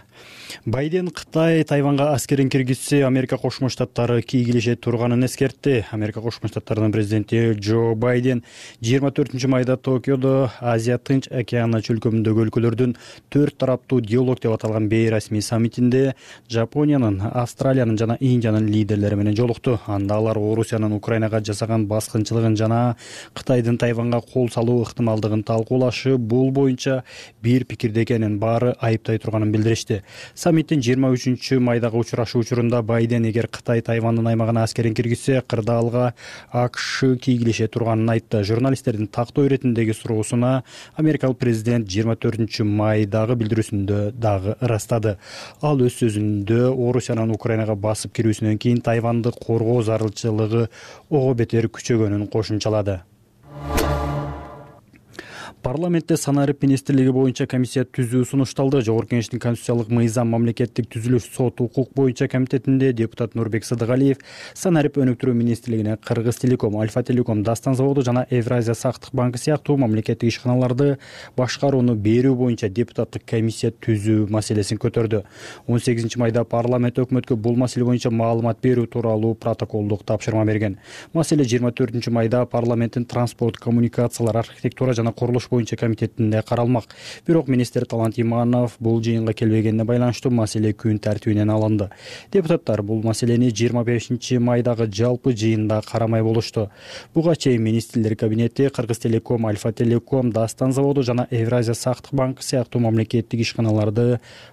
Байден Кытай Тайванга аскерин киргизсе, Америка Кошмо Штаттары кийгилеше турганын эскертти. Америка Кошмо Штаттарынын президенти Джо Байден 24 майда Токиодо Азия Тынч океаны чөлкөмүндөгү өлкөлөрдүн 4 тараптуу диалог деп аталган бейрасмий саммитинде Жапониянын, Австралиянын жана Индиянын лидерлери менен жолукту. Анда алар Орусиянын Украинага жасаган баскынчылыгын жана Кытайдын Тайванга кол салуу ыктымалдыгын талкуулашы, бул боюнча бир пикирде экенин, баары айыптай турганын билдиришти. Саммиттин 23 майдагы учурашуу учурунда Байден эгер Кытай Тайвандын аймагына аскерин киргизсе, кырдаалга АКШ кийгилеше турганын айтты. Журналисттердин тактоо иретиндеги суроосуна америкалык президент 24 майдагы билдирүүсүндө дагы ырастады. Ал өз сөзүндө Орусиянын Украинага басып кирүүсүнөн кийин Тайванды коргоо зарылчылыгы ого бетер күчөгөнүн кошумчалады. Парламентте санарип министрлиги боюнча комиссия түзүү сунушталды. Жогорку Кеңештин конституциялык мыйзам, мамлекеттик түзүлүш, сот, укук боюнча комитетинде депутат Нурбек Сыдыгалиев санарип өнүктүрүү министрлигине Кыргыз Телеком, Альфа Телеком, Дастан заводу жана Евразия сактык банкы сыяктуу мамлекеттик ишканаларды башкарууну берүү боюнча депутаттык комиссия түзүү маселесин көтөрдү. 18 майда парламент өкмөткө бул маселе боюнча маалымат берүү тууралуу протоколдук тапшырма берген. Маселе 24 майда парламенттин транспорт, коммуникациялар, архитектура жана курулуш боюнча комитетинде каралмак. Бирок министр Талант Иманов бул жыйынга келбегенине байланыштуу маселе күн тартибинен алынды. Депутаттар бул маселени 25 майдагы жалпы жыйында карамай болушту. Буга чейин министрлер кабинети Кыргыз Телеком, Альфа Телеком, Дастан заводу жана Евразия сактык банкы сыяктуу мамлекеттик ишканаларды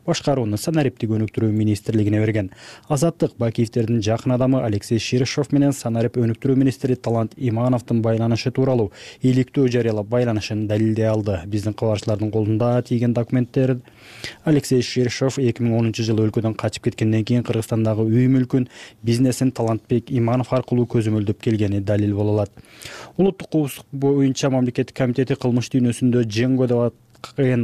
башкарууну санариптик өнүктүрүү министрлигине берген. Азаттык Бакиевдердин жакын адамы Алексей Ширшов менен санарип өнүктүрүү министри Талант Имановдун байланышы тууралуу иликтөө жарыялап байланышын далилдей алды. Биздин кабарчылардын колунда тийген документтер Алексей Ширшов 2010 жылы өлкөдөн качып кеткенден кийин Кыргызстандагы үй мүлкүн, бизнесин Талантбек Иманов аркылуу көзөмөлдөп келгени далил боло алат. Улуттук коопсуздук боюнча мамлекеттик комитети кылмыш дүйнөсүндө Дженго деп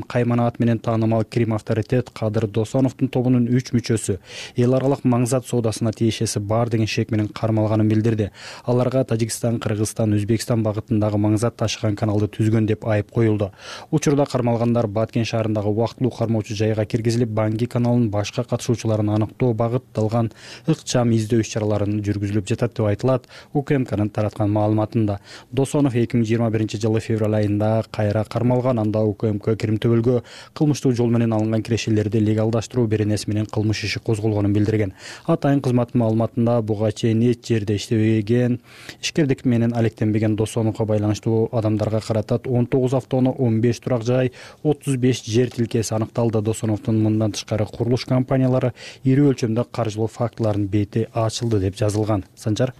каймана ат менен таанымал Крим авторитет Кадыр Досоновдун тобунун 3 мүчөсү эл аралык маңзат соодасына тиешеси бар деген шек менен кармалганын билдирди. Аларга Тажикстан, Кыргызстан, Өзбекстан багытындагы маңзат ташыган каналды түзгөн деп айып коюлду. Учурда кармалгандар Баткен шаарындагы убактылуу кармоочу жайга киргизилип, Банги каналынын башка катышуучуларын аныктоо багытталган ыкчам издөө иш-чараларын жүргүзүлүп жатат деп айтылат УКМКнын тараткан маалыматында. Досонов 2021 жылы февраль айында кайра кармалган. Анда УКМК Кирим-Төбөлгө кылмыштуу жол менен алынган кирешелерди легалдаштыруу беренеси менен кылмыш иши козголгонун билдирген. Атайын кызматтын маалыматында буга чейин эч жерде иштебеген, ишкердик менен алектенбеген Досоновго байланыштуу адамдарга карата 19 автоунаа, 15 турак жай, 35 жер тилкеси аныкталды. Досоновдун мындан тышкары курулуш компаниялары ири өлчөмдө каржылоо фактыларынын бети ачылды деп жазылган. Санжар.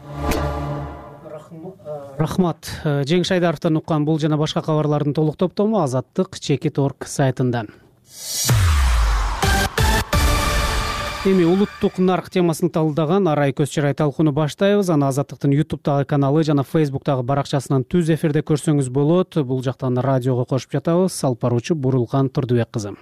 Рахмат. Жеңиш Айдаровдон уккан бул жана башка кабарлардын толук топтому azattik.org сайтында. Эми улуттук нарк темасын талдаган Арай көз чырай талкууну баштайбыз. Аны Азаттыктын YouTube'дагы каналы жана Facebook'тагы баракчасынан түз эфирде көрсөңүз болот. Бул жактан радиого кошуп жатабыз. Алып баруучу Бурулкан Турдубек кызы.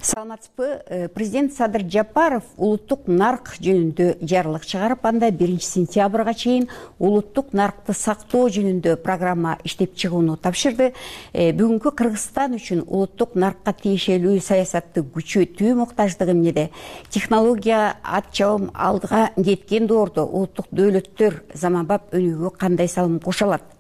Саламатсызбы. Президент Садыр Жапаров улуттук нарк жөнүндө жарлык чыгарып, анда 1 сентябрга чейин улуттук наркты сактоо жөнүндө программа иштеп чыгууну тапшырды. Бүгүнкү Кыргызстан үчүн улуттук наркка тиешелүү саясатты күчөтүү муктаждыгы эмнеде? Технология ат чабым алдыга кеткен доордо улуттук дөөлөттөр заманбап өнүгүүгө кандай салым кошо алат?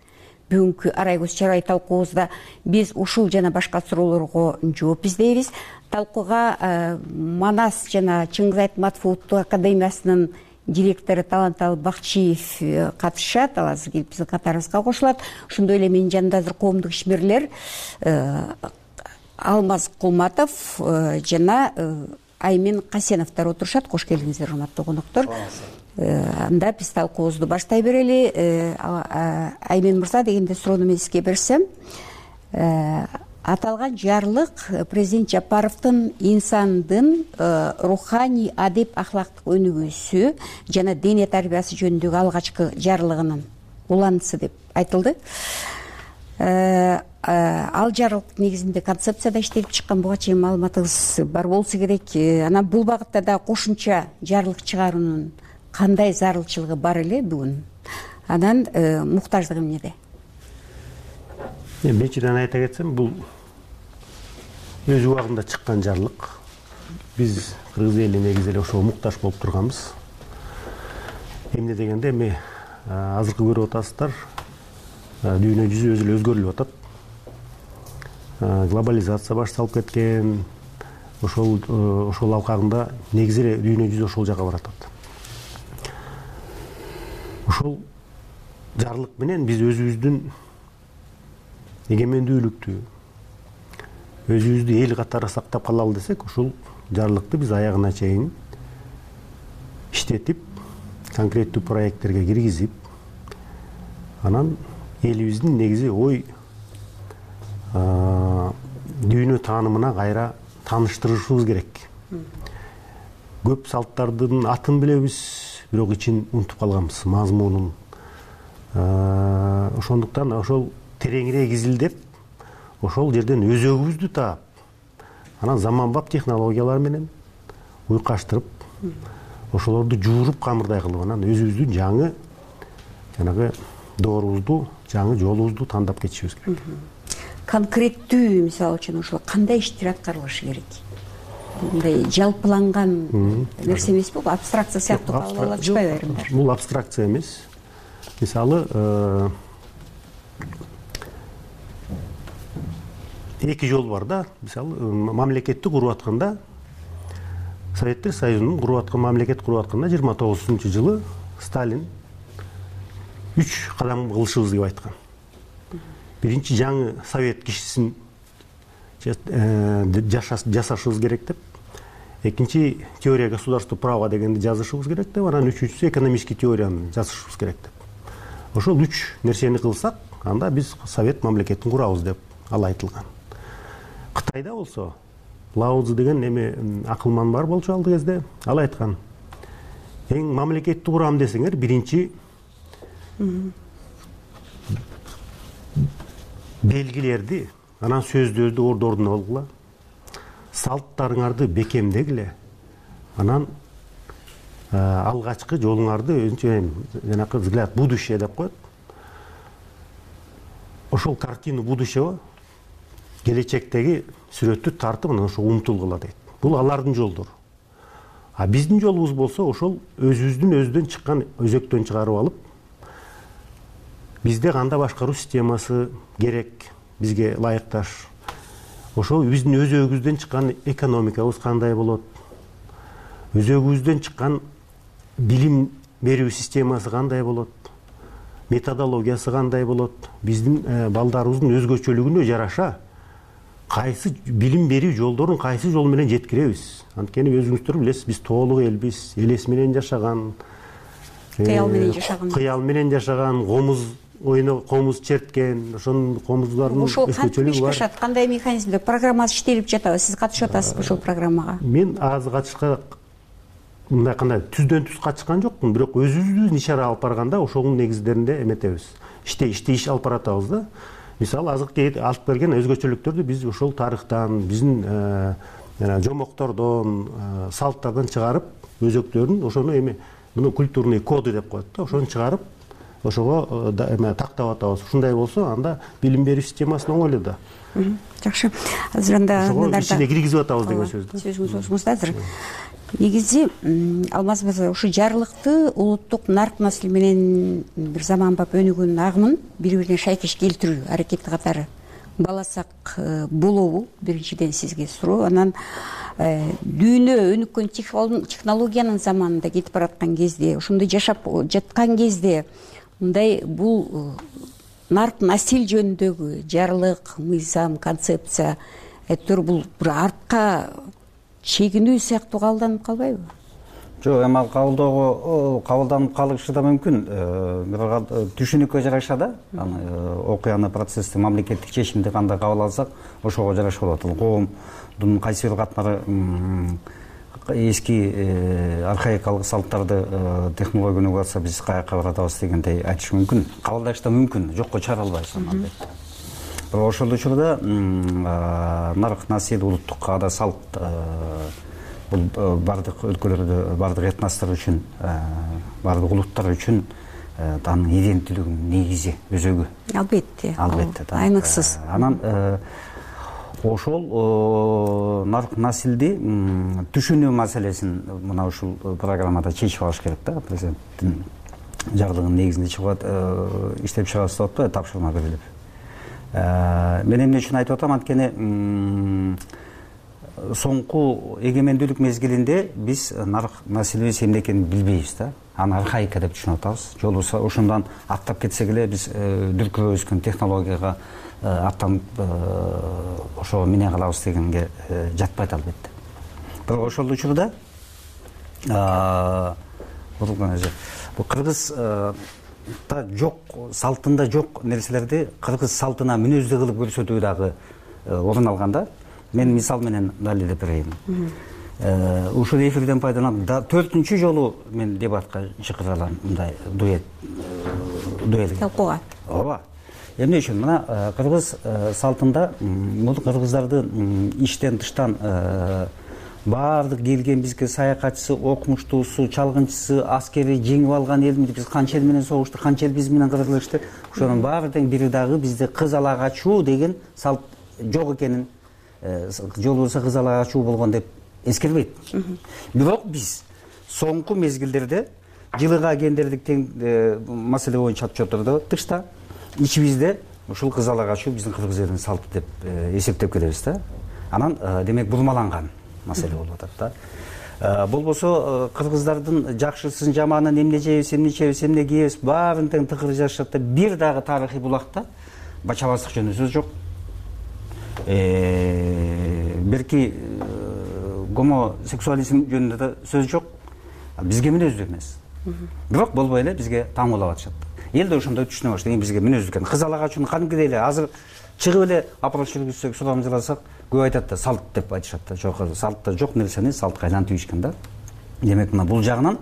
Бүгүнкү Арай көз чырай талкуубузда биз ушул жана башка суроолорго жооп издейбиз. Талкууга Манас жана Чыңгыз Айтматов улуттук академиясынын директору Таланталы Бакчиев катышат. Ал азыр келип биздин катарыбызга кошулат. Ошондой эле менин жанымда азыр коомдук ишмерлер Алмаз Кулматов жана Аймен Касеновдор отурушат. Кош келиңиздер, урматтуу коноктор. Анда биз талкуубузду баштай берели. Аймен мырза, дегенде суроону мен сизге берсем, аталган жарлык президент Жапаровдун инсандын руханий, адеп, ахлактык өнүгүүсү жана дене тарбиясы жөнүндөгү алгачкы жарлыгынын уланысы деп айтылды. Ал жарлык негизинде концепцияда иштелип чыккан, буга чейин маалыматыңыз бар болсо керек. Анан бул багытта да кошумча жарлык чыгаруунун кандай зарылчылыгы бар эле бүгүн? Анан муктаждыгы эмнеде? Биринчиден айта кетсем, бул өз убагында чыккан жарлык. Биз кыргыз эли негизи эле ошого муктаж болуп турганбыз. Эмне дегенде, эми азыркы көрүп атасыздар, дүйнө жүзү өзү эле өзгөрүлүп атат. Глобализация башталып кеткен. Ошол алкагында негизи эле дүйнө жүзү ошол жака баратат. Ошол жарлык менен биз өзүбүздүн эгемендүүлүктү, өзүбүздү эл катары сактап калалы десек, ушул жарлыкты биз аягына чейин иштетип, конкреттүү проекттерге киргизип, анан элибиздин негизи ой дүйнө таанымына кайра тааныштырышыбыз керек. Көп салттардын атын билебиз, бирок ичин унутуп калганбыз, мазмунун. Ошондуктан ошол тереңирээк изилдеп, ошол жерден өзөгүбүздү таап, анан заманбап технологиялар менен уйкаштырып, ошолорду жууруп камырдай кылып, анан өзүбүздүн жаңы жанагы доорубузду, жаңы жолубузду тандап кетишибиз керек. Конкреттүү, мисалы үчүн ошол кандай иштер аткарылышы керек? Мындай жалпыланган нерсе эмеспи? Абстракция сыяктуу кабыл алып атышпайбы айрымдар? Бул абстракция эмес. Мисалы, эки жол бар да. Мисалы, мамлекетти куруп атканда, Советтер Союзунун мамлекет куруп атканда 29-жылы Сталин 3 кадам кылышыбыз деп айткан. Биринчи, жаңы совет кишисин жасашыбыз керек деп. Экинчи, теория государства права дегенди жазышыбыз керек деп. Анан үчүнчүсү, экономический теорияны жазышыбыз керек деп. Ошол 3 нерсени кылсак, анда биз совет мамлекетин курабыз деп ал айтылган. Кытайда болсо, Лао Цзы деген эми акылман бар болчу алды кезде, ал айткан: эң мамлекетти курам десеңер, биринчи белгилерди, анан сөздөрдү ордуна алгыла, салттарыңарды бекемдегиле, анан алгачкы жолуңарды жанакы взгляд будущее деп коет. Ошол картину будущего, келечектеги сүрөттү тартып, анан ошо умтулгула дейт. Бул алардын жолдору. А биздин жолубуз болсо, ошол өзүбүздөн чыккан өзөктөн чыгарып алып, бизде кандай башкаруу системасы керек, бизге ылайыкташ. Ошол биздин өзөгүбүздөн чыккан экономикабыз кандай болот, өзөгүбүздөн чыккан билим берүү системасы кандай болот, методологиясы кандай болот, биздин балдарыбыздын өзгөчөлүгүнө жараша кайсы билим берүү жолдорун кайсы жол менен жеткиребиз. Анткени өзүңүздөр билесиз, биз тоолук элбиз, элес менен жашаган, кыял менен жашаган, комуз оюна комуз черткен, ошонун комуздардын ошол кантип өзгөчөлүгү ишке бар. ашат, кандай механизмде программасы иштелип жатабы, сиз катышып атасызбы ошол программага? Мен азыр катышка мындай кандай түздөн түз катышкан жокмун, бирок өзүбүздүн иш ара алып барганда ошонун негиздеринде эметебиз. Иш алып баратабыз да. Мисалы азыркы алып берген өзгөчөлүктөрдү биз ошол тарыхтан, биздин жомоктордон, салттардан чыгарып, өзөктөрүн ошону эме муну культурный коды деп коет да, ошону чыгарып, ошого тактап атабыз. Ушундай болсо, анда билим берүү системасын оңойло да. Жакшы. Азыр анда ичине киргизип атабыз деген сөз да. Сөзүңүз ошуңузда азыр. Негизи Алмаз мырза, ушу жарлыкты улуттук нарк маселе менен бир заманбап өнүгөн агымын бири-бирине шайкеш келтирүү аракети катары баласак болобу? Биринчиден сизге суроо. Анан дүйнө өнүккөн технологиянын заманында кетип бараткан кезде, ошондой жашап жаткан кезде мындай бул нарк насил жөнүндөгү жарлык, мыйзам, концепция бул бир артка чегинүү сыяктуу кабылданып калбайбы? Жок, эми ал кабылданып калышы да мүмкүн. Бирок түшүнүккө жараша да, окуяны, процессти, мамлекеттик чечимди кандай кабыл алсак, ошого жараша болот. Коомдун кайсы бир катмары эски архаикалык салттарды технология өнүгүп атса, биз каяка баратабыз дегендей айтыш мүмкүн. Кабылдаш да мүмкүн, жокко чыгара албайбыз албетте. Бирок ошол учурда нарк, насил, улуттук каада, салт бул бардык өлкөлөрдө, бардык этностор үчүн, бардык улуттар үчүн анын иденттүүлүгүнүн негизи, өзөгү. Албетте. Албетте. Айныксыз. Анан ошол нарк, насилди түшүнүү маселесин мына ушул программада чечип алыш керек да. Президенттин жарлыгынын негизинде чыгып иштеп чыгабыз деп атпайбы, тапшырма берилип. Мен эмне үчүн айтып атам, анткени соңку эгемендүүлүк мезгилинде биз нарк маселебиз эмне экенин билбейбиз да. Аны архаика деп түшүнүп атабыз. Же болбосо ошондон аттап кетсек эле биз дүркүрөп өскөн технологияга аттанып ошого мине калабыз дегенге жатпайт албетте. Бирок ошол учурда бул кыргыз жок, салтында жок нерселерди кыргыз салтына мүнөздүү кылып көрсөтүү дагы орун алганда, мен мисал менен далилдеп берейин. Ушул эфирден пайдаланып 4-үнчү жолу мен дебатка чакыралам, мындай дуэлге. Талкууга. Ооба. Эмне үчүн? Мына кыргыз салтында бул кыргыздардын иштен тыштан баардык келген бизге саякатчысы, окумуштуусу, чалгынчысы, аскери жеңип алган элмиз, биз канча эл менен согуштук, канча эл биз менен кыргызышты. Ошонун баардын бири дагы бизде кыз ала качуу деген салт жок экенин, же болбосо кыз ала качуу болгон деп эскербейт. Бирок биз соңку мезгилдерде жылыга гендердик тең маселе боюнча отчеттордо тышта ичибизде ушул кыз ала качуу биздин кыргыз элинин салты деп эсептеп келебиз да. Анан демек бурмаланган маселе болуп атат да. Болбосо кыргыздардын жакшысын, жаманын, эмне жейбиз, эмне ичебиз, эмне кийебиз, баарын тең тыкыр жашашат да. Бир дагы тарыхый булакта бачабаздык жөнүндө сөз жок. Берки гомосексуализм жөнүндө да сөз жок. Бизге мүнөздүү эмес. Бирок болбой эле бизге таңуулап атышат. Эл да ошондой түшүнө баштаган, бизге мүнөздүү экен. Кыз ала качууну кадимкидей эле азыр чыгып эле опрос жүргүзсөк, сурамжыласак, көп айтат да, салт деп айтышат да. Жок, салтта жок нерсени салтка айлантып ийишкен да. Демек, мына бул жагынан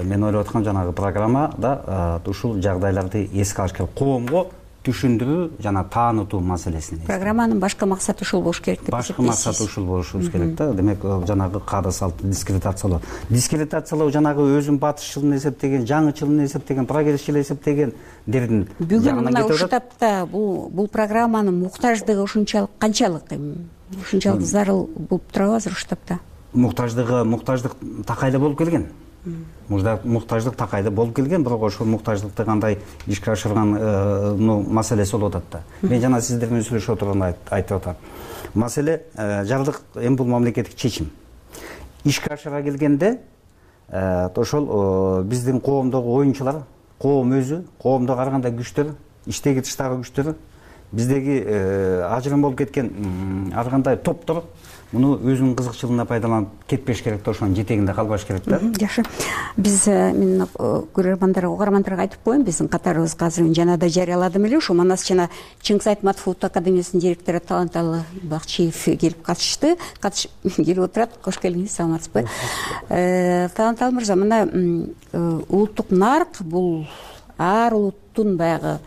мен ойлоп аткан жанагы программада ушул жагдайларды эске алыш керек. Коомго түшүндүрүү жана таанытуу маселесин. Программанын башкы максаты ушул болуш керек деп эсептейсиз? Башкы максаты ушул болушубуз керек да. Демек, жанагы каада салтты дискредитациялоо. Дискредитациялоо жанагы өзүн батышчылын эсептеген, жаңычылын эсептеген, прогрессчил эсептеген дердин. Бүгүн мына ушул тапта бул программанын муктаждыгы ушунчалык канчалык? Ушунчалык зарыл болуп турабы азыр ушул тапта? Муктаждык такайда болуп келген. Муктаждык такайда болуп келген, бирок ошол муктаждыкты кандай ишке ашырган маселеси болуп атат да. Мен жана сиздер менен сүйлөшүп отурганда айтып атам. Маселе жардык эми бул мамлекеттик чечим. Ишке ашыра келгенде ошол биздин коомдогу оюнчулар, коом өзү, коомдо караганда күчтөр, иштеги тыштагы күчтөр, биздеги ажырым болуп кеткен ар кандай топтор муну өзүнүн кызыкчылыгына пайдаланып кетпеш керек да, ошонун жетегинде калбаш керек да. Жакшы. Биз мен көрөрмандарга, угармандарга айтып коеюн, биздин катарыбызга азыр жанада жарыяладым эле, ушу Манас жана Чыңгыз Айтматов улуттук академиясынын директору Таланталы Бакчиев келип катышты. Келип отурат. Кош келиңиз, саламатсызбы? Таланталы мырза, мына улуттук нарк бул ар улуттун баягы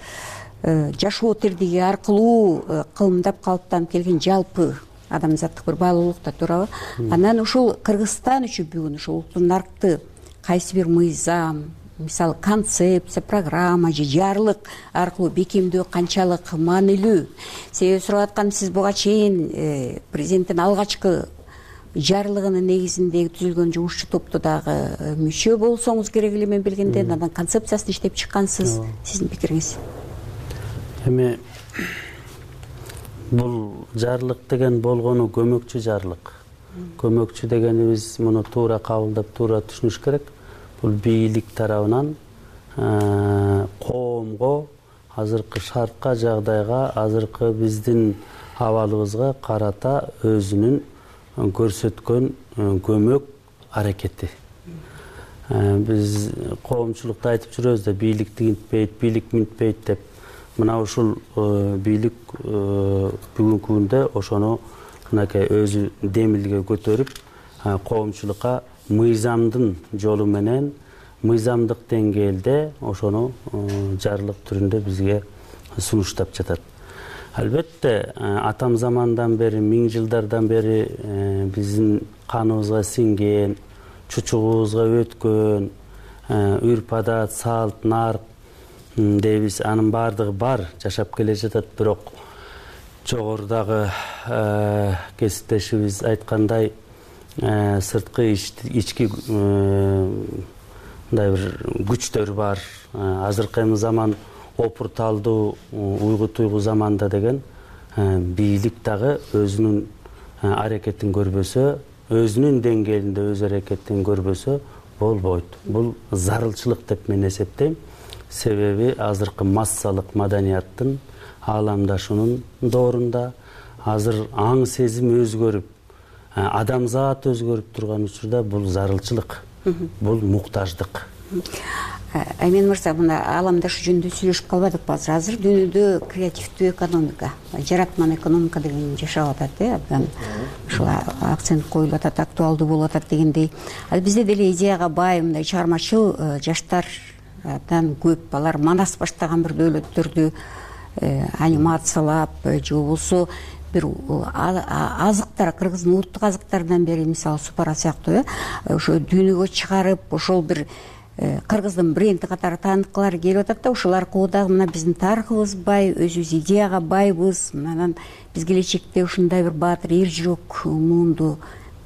жашоо тирдиги аркылуу кылымдап калыптанып келген жалпы адамзаттык бир баалуулук да, туурабы? Анан ушул Кыргызстан үчүн бүгүн ушул улуттук наркты кайсы бир мыйзам, мисалы концепция, программа же жарлык аркылуу бекемдөө канчалык маанилүү? Себеби сурап атканым, сиз буга чейин президенттин алгачкы жарлыгынын негизинде түзүлгөн жумушчу топту дагы мүчө болсоңуз керек эле, мен билгенде, анан концепциясын иштеп чыккансыз. Сиздин пикириңиз? Эми бул жарлык деген болгону көмөкчү жарлык. Көмөкчү дегенибиз муну туура кабылдап, туура түшүнүш керек. Бул бийлик тарабынан коомго, азыркы шартка, жагдайга, азыркы биздин абалыбызга карата өзүнүн көрсөткөн көмөк аракети. Биз коомчулукта айтып жүрөбүз да, бийлик тигинтпейт, бийлик минтпейт деп. Мына ушул бийлик бүгүнкү күндө ошону мынакей өзү демилге көтөрүп, коомчулукка мыйзамдын жолу менен, мыйзамдык деңгээлде ошону жарлык түрүндө бизге сунуштап жатат. Албетте, атам замандан бери, миң жылдардан бери биздин каныбызга сиңген, чучугубузга өткөн үрп-адат, салт, нарк дейбиз, анын баардыгы бар, жашап келе жатат. Бирок жогорудагы кесиптешибиз айткандай, сырткы ички мындай бир күчтөр бар. Азыркы заман опурталдуу, уйгу-туйгу заманда деген бийлик дагы өзүнүн аракетин көрбөсө, өзүнүн деңгээлинде өз аракетин көрбөсө болбойт. Бул зарылчылык деп мен эсептейм. Себеби азыркы массалык маданияттын ааламдашуунун доорунда азыр аң сезим өзгөрүп, адамзат өзгөрүп турган учурда бул зарылчылык, бул муктаждык. Аймен мырза, мына ааламдашуу жөнүндө сүйлөшүп калбадыкпы азыр? Азыр дүйнөдө креативдүү экономика, жаратман экономика деген жашап атат, абдан ушул акцент коюлуп атат, актуалдуу болуп атат дегендей. Ал бизде деле идеяга бай мындай чыгармачыл жаштар абдан көп. Алар Манас баштаган бир дөөлөттөрдү анимациялап же болбосо бир азыктар, кыргыздын улуттук азыктарынан бери, мисалы супара сыяктуу, ошо дүйнөгө чыгарып, ошол бир кыргыздын бренди катары тааныткылары келип атат да. Ошол аркылуу дагы мына биздин тарыхыбыз бай, өзүбүз идеяга байбыз. Анан биз келечекте ушундай бир баатыр, эр жүрөк муунду,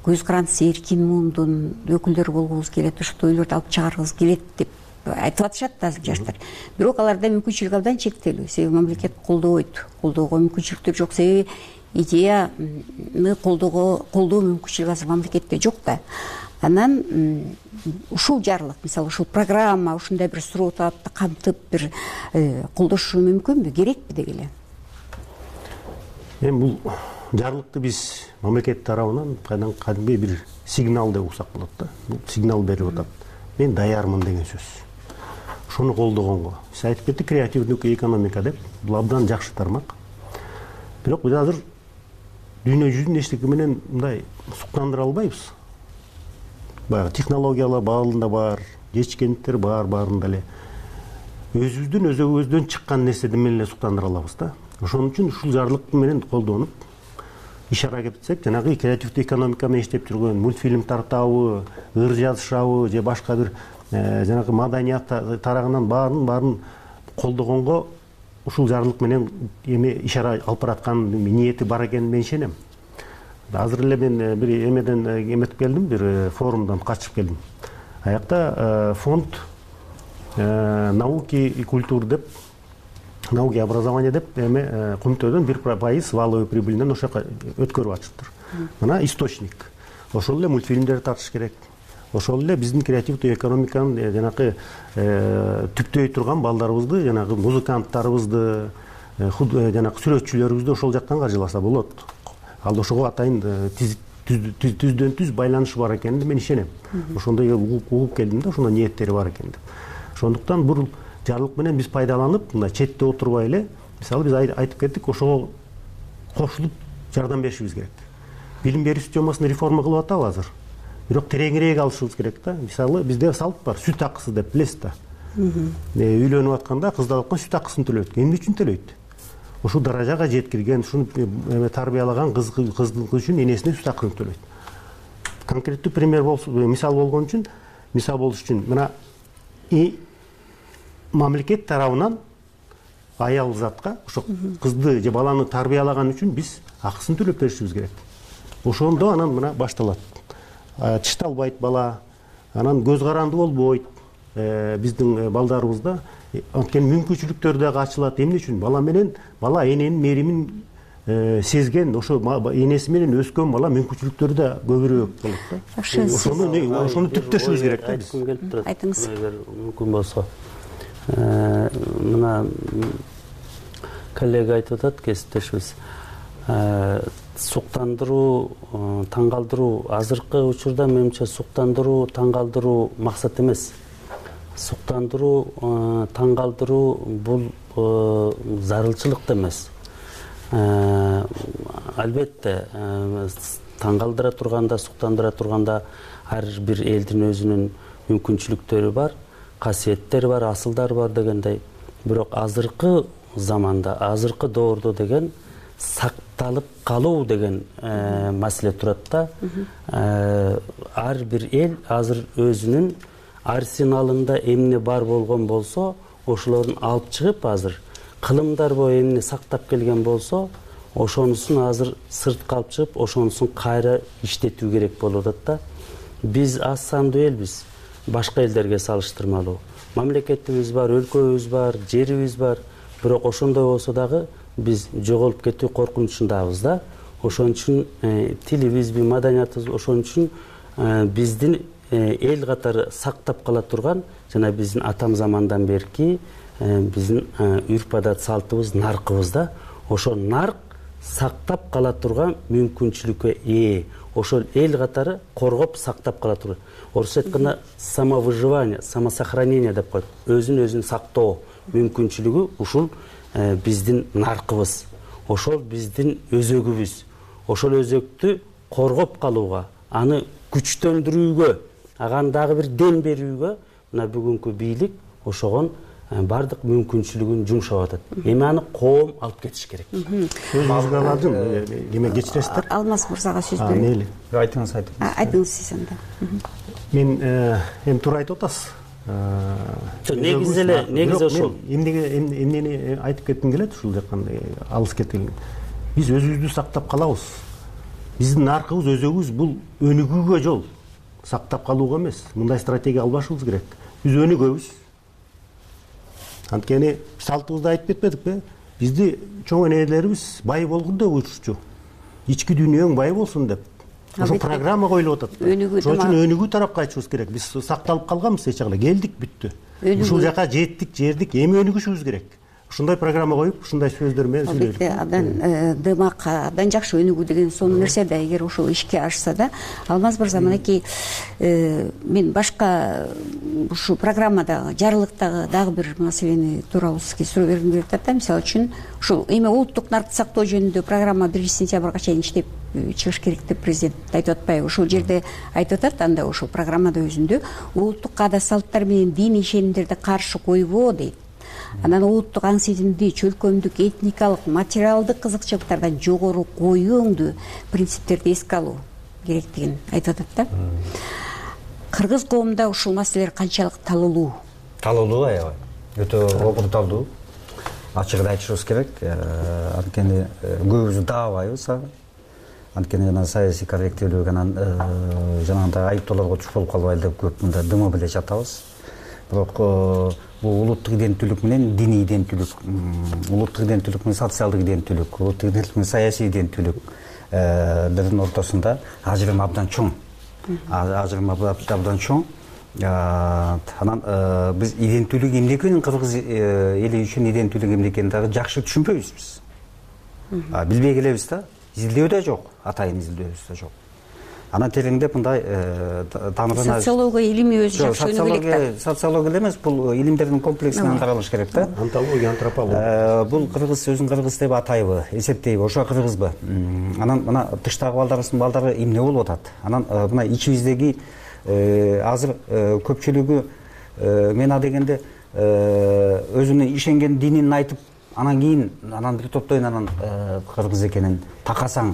көз карандысы эркин муундун өкүлдөрү болгубуз келет, ушул ойлорду алып чыгаргыбыз келет деп айтып атышат да азыр жаштар. Бирок аларда мүмкүнчүлүк абдан чектелүү. Себеби мамлекет колдобойт. Колдоого мүмкүнчүлүктөр жок. Себеби идеяны колдоо мүмкүнчүлүгү азыр мамлекетте жок да. Анан ушул жарлык, мисалы ушул программа ушундай бир суроо талапты камтып бир колдошу мүмкүнбү, керекпи деги эле? Эми бул жарлыкты биз мамлекет тарабынан кадимки бир сигнал деп уксак болот да. Бул сигнал берип атат. Мен даярмын деген сөз. Ошону колдогонго. Сиз айтып кеттик, креативдүү экономика деп. Бул абдан жакшы тармак. Бирок биз азыр дүйнө жүзүн эчтеке менен мындай суктандыра албайбыз. Баягы технологиялар баалында бар, жетишкендиктер бар, баарында эле өзүбүздүн өзөгүбүздөн чыккан нерседи менен эле суктандыра алабыз да. Ошон үчүн ушул жарлык менен колдонуп иш аракет этсек, жанагы креативдүү экономика менен иштеп жүргөн мультфильм тартабы, ыр жазышабы же башка бир жанагы маданият тарагынан баарын колдогонго ушул жарлык менен эми иш алып бараткан ниети бар экенин мен ишенем. Азыр эле мен бир эмеден эметип келдим, бир форумдан катышып келдим. Аякта фонд науки и культуры деп, науки и образование деп кумтөөдөн 1% валовый прибылинен ошо өткөрүп атышыптыр. Мына источник. Ошол эле мультфильмдерди тартыш керек. Ошол эле биздин креативдүү экономиканын жанагы түптөй турган балдарыбызды, жанагы музыканттарыбызды, жанагы сүрөтчүлөрүбүздү ошол жактан каржыласа болот. Ал ошого атайын түздөн түз байланышы бар экенине мен ишенем. Ошондой угуп келдим да, ошондой ниеттери бар экен деп. Ошондуктан бул жарлык менен биз пайдаланып, мына четте отурбай эле, мисалы биз айтып кеттик, ошого кошулуп жардам беришибиз керек. Билим берүү системасын реформа кылып атабы азыр. Бирок тереңирээк алышыбыз керек да. Мисалы бизде салт бар, сүт акысы деп билесиз да. Үйлөнүп атканда кыздалыкка сүт акысын төлөйт. Эмне үчүн төлөйт? Ушул даражага жеткирген, ушуну тарбиялаган кыздык үчүн энесине сүт акысын төлөйт. Конкреттүү пример мисал болгон үчүн, мисал болуш үчүн мына мамлекет тарабынан аял затка ошо кызды же баланы тарбиялаган үчүн биз акысын төлөп беришибиз керек. Ошондо анан мына башталат. Тишталбайт бала, анан көз каранды болбойт. Биздин балдарыбызда анткени мүмкүнчүлүктөр дагы ачылат. Эмне үчүн? Бала эненин меримин сезген, ошо энеси менен өскөн бала мүмкүнчүлүктөрү да көбүрөөк болот да. Ошону түптөшүбүз керек да биз. Айтыңыз. Эгер мүмкүн болсо. Мына коллега айтып атат, кесиптешибиз. Суктандыруу, таң калтыруу, азыркы учурда менимче суктандыруу, таң калтыруу максат эмес. Суктандыруу, таң калтыруу бул зарылчылык да эмес. Албетте, таң калтыра турганда, суктандыра турганда ар бир элдин өзүнүн мүмкүнчүлүктөрү бар, касиеттери бар, асылдары бар дегендей. Бирок азыркы заманда, азыркы доордо деген сакталып калуу деген маселе турат да. Ар бир эл азыр өзүнүн арсеналында эмне бар болгон болсо, ошолорун алып чыгып азыр кылымдар бою эмне сактап келген болсо, ошонусун азыр сыртка алып чыгып, ошонусун кайра иштетүү керек болуп атат да. Биз аз сандуу элбиз, башка элдерге салыштырмалуу. Мамлекетибиз бар, өлкөбүз бар, жерибиз бар. Бирок ошондой болсо дагы биз жоголуп кетүү коркунучундабыз да. Ошон үчүн тилибизби, маданиятыбыз, ошон үчүн биздин эл катары сактап кала турган жана биздин атам замандан берки биздин үрп-адат салтыбыз, наркыбыз да. Ошол нарк сактап кала турган мүмкүнчүлүккө ээ. Ошол эл катары коргоп сактап кала турган. Орусча айтканда самовыживание, самосохранение деп коет. Өзүн сактоо мүмкүнчүлүгү ушул биздин наркыбыз. Ошол биздин өзөгүбүз. Ошол өзөктү коргоп калууга, аны күчтөндүрүүгө, ага дагы бир дем берүүгө мына бүгүнкү бийлик ошогон бардык мүмкүнчүлүгүн жумшап атат. Эми аны коом алып кетиш керек. Өзүңүзгө аладым, эме кечиресиздер? Алмаз мырзага сөз берейин. Мейли. Айтыңыз. Айтыңыз сиз анда. Мен эми туура айтып атасыз. Негизи ошол. Эмнени айтып кетким келет ушул жактан алыс кеткен. Биз өзүбүздү сактап калабыз. Биздин наркыбыз, өзөгүбүз бул өнүгүүгө жол, сактап калууга эмес. Мындай стратегия албашыбыз керек. Биз өнүгөбүз. Анткени салтыбызда айтып кетпедикпи? Бизди чоң энелерибиз бай болгун деп уйрушчу. Ички дүйнөң бай болсун деп. Ошо программа коюлуп атат. Ошон үчүн өнүгүү тарапка кайтышыбыз керек. Биз сакталып калганбыз эч жагда. Келдик, бүттү. Ушул жака жеттик, жердик, эми өнүгүшүбүз керек. Ушундай программа коюп, ушундай сөздөр менен сүйлөйбүз. Абдан дымак, абдан жакшы өнүгүү деген сонун нерсе да, эгер ошол ишке ашса да. Алмаз мырза, мынакей мен башка ушу программадагы, жарлыктагы дагы бир маселени тууралуу сизге суроо бергим келип атат да. Мисалы үчүн ушул эми улуттук наркты сактоо жөнүндө программа 1-сентябрга чейин иштеп чыгыш керек деп президент айтып атпайбы? Ошол жерде айтып атат, анда ошол программада өзүндө улуттук каада салттар менен диний ишенимдерди каршы койбоо дейт. Анан улуттук аң сезимди, чөлкөмдүк, этникалык, материалдык кызыкчылыктардан жогору коюуңду принциптерди эске алуу керектигин айтып атат да. Кыргыз коомунда ушул маселелер канчалык талуулуу? Талуулуу, аябай. Өтө обурталдуу. Ачыгын айтышыбыз керек. Анткени көбүбүз даабайбыз. Анткени жана саясий корректүүлүк, анан жанагындай айыптоолорго туш болуп калбайлы деп көп мында дымы биле жатабыз. Бирок бул улуттук иденттүүлүк менен диний иденттүүлүк, улуттук иденттүүлүк менен социалдык иденттүүлүк, улуттук иденттүүлүк менен саясий иденттүүлүктөрдүн ортосунда ажырым абдан чоң. Ажырым абдан чоң. Анан биз иденттүүлүк эмне экенин, кыргыз эли үчүн иденттүүлүк эмне экенин дагы жакшы түшүнбөйбүз биз. Билбей келебиз да. Изилдөө да жок, атайын изилдөөбүз да жок. анан тереңдеп мындай тамырына социология илими өзү жакшы керек. Социология эмес, бул илимдердин комплексинен каралыш керек да. Антология, антропология. Бул кыргыз өзүн кыргыз деп атайбы, эсептейби, ошо кыргызбы? Анан мына тыштагы балдары эмне болуп атат? Анан мына ичибиздеги азыр көпчүлүгү мен адегенде өзүнүн ишенген динин айтып, анан кийин бир топтойн анан кыргыз экенин такасаң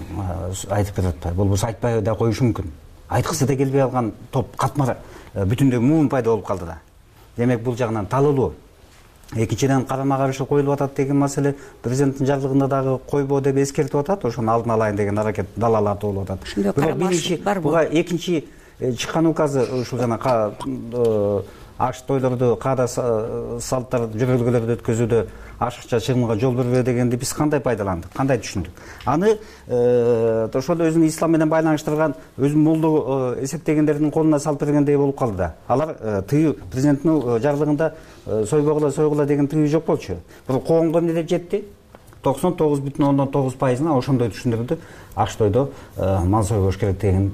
айтып берип атпайбы? Болбосо айтпай да коюшу мүмкүн. Айткысы да келбей калган топ катмар бүтүндөй муун пайда болуп калды да. Демек бул жагынан талылуу. Экинчиден карама каршы коюлуп атат деген маселе президенттин жарлыгында дагы койбоо деп эскертип атат. Ошону алдын алайын деген аракет далалатуу болуп атат. Бирок биринчи буга экинчи чыккан указы ушул жана аш тойлорду, каада салттарды, жөрөлгөлөрдү өткөзүүдө ашыкча чыгымга жол бербөө дегенди биз кандай пайдаландык, кандай түшүндүк? Аны ошол өзүнүн ислам менен байланыштырган өзүн молдо эсептегендердин колуна салып бергендей болуп калды да. Алар тыюу президенттин жарлыгында сойгула деген тыюу жок болчу. Бирок коомго эмне деп жетти? 99,9%-ына ошондой түшүндүрдү. Аш тойдо мал сойгош керек деген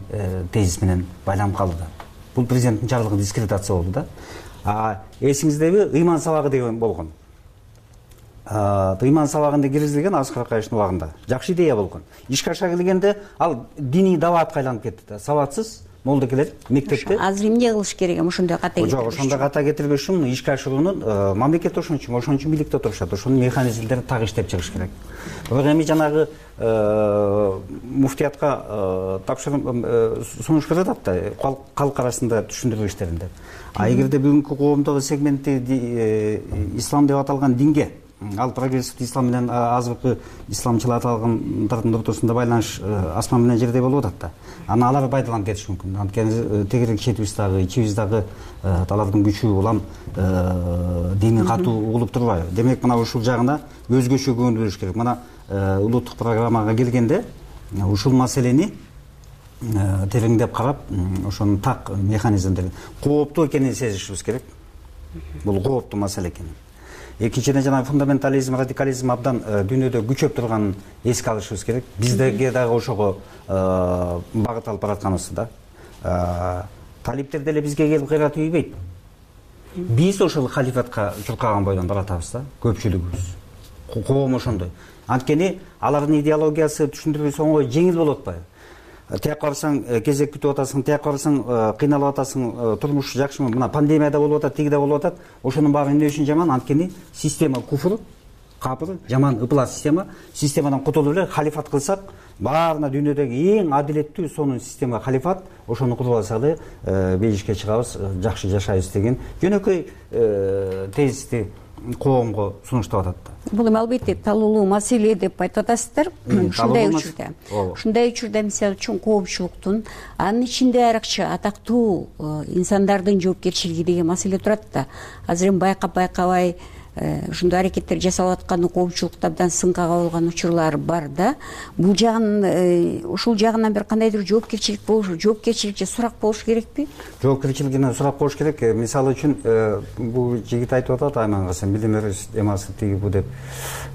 тезис менен байланып калды да. Бул президенттин жарлыгы дискредитация болду да. Эсиңиздеби, ыйман сабагы деген болгон. Ыйман сабагында киргизилген Аскар Акаевичтин убагында. Жакшы идея болгон. Ишке аша келгенде ал диний даватка айланып кетти да. Сабатсыз молдокелер мектепте. Азыр эмне кылыш керек? Ошондой ката кетирбеш. Жок, ошондой ката кетирбеш үчүн ишке ашыруунун мамлекет ошон үчүн бийликте отурушат. Ошонун механизмдерин так иштеп чыгыш керек. Бирок эми жанагы муфтиятка сунуш берип атат да, калк арасында түшүндүрүү иштеринде. Эгерде бүгүнкү коомдогу сегментти ислам деп аталган динге, ал прогрессивдүү ислам менен азыркы исламчыл аталгандардын ортосунда байланыш асман менен жердей болуп атат да. Аны алар пайдаланып кетиши мүмкүн. Анткени тегерек четибиз дагы, ичибиз дагы алардын күчү улам дини катуу угулуп турбайбы? Демек мына ушул жагына өзгөчө көңүл буруш керек. Мына улуттук программага келгенде ушул маселени тереңдеп карап, ошонун так механизмдерин кооптуу экенин сезишибиз керек. Бул кооптуу маселе экен. Экинчиден жана фундаментализм, радикализм абдан дүйнөдө күчөп турганын эске алышыбыз керек. Биздеги дагы ошого багыт алып баратканыбызды да. Талиптер деле бизге келип кыйрат үйбөйт. Биз ошол халифатка чуркаган бойдон баратабыз да, көпчүлүгүбүз. Коом ошондой. Анткени алардын идеологиясы түшүндүрүүсү оңой, жеңил болуп атпайбы? Тияк барсаң кезек күтүп атасың, тияк барсаң кыйналып атасың, турмуш жакшымы? Мына пандемия да болуп атат, тиги да болуп атат. Ошонун баары эмне үчүн жаман? Анткени система куфр, капыр, жаман ыплас система. Системадан кутулуп эле халифат кылсак, баарына дүйнөдөгү эң адилеттүү сонун система халифат, ошону куруп алсак эле бейишке чыгабыз, жакшы жашайбыз деген жөнөкөй тезисти коомго сунуштап атат да. Бул эми албетте талуулуу маселе деп айтып атасыздар. Ушундай учурда мисалы үчүн коомчулуктун, анын ичинде айрыкча атактуу инсандардын жоопкерчилиги деген маселе турат да. Азыр эми байкабай ушундай аракеттер жасалып атканы коомчулукта абдан сынга кабылган учурлар бар да. Бул жагын, ушул жагынан бир кандайдыр жоопкерчилик болушу, жоопкерчилик же сурак болуш керекпи? Жоопкерчилигинен сурак болуш керек. Мисалы үчүн бул жигит айтып атат, Айман билим берүүчү эмасы тиги бу деп.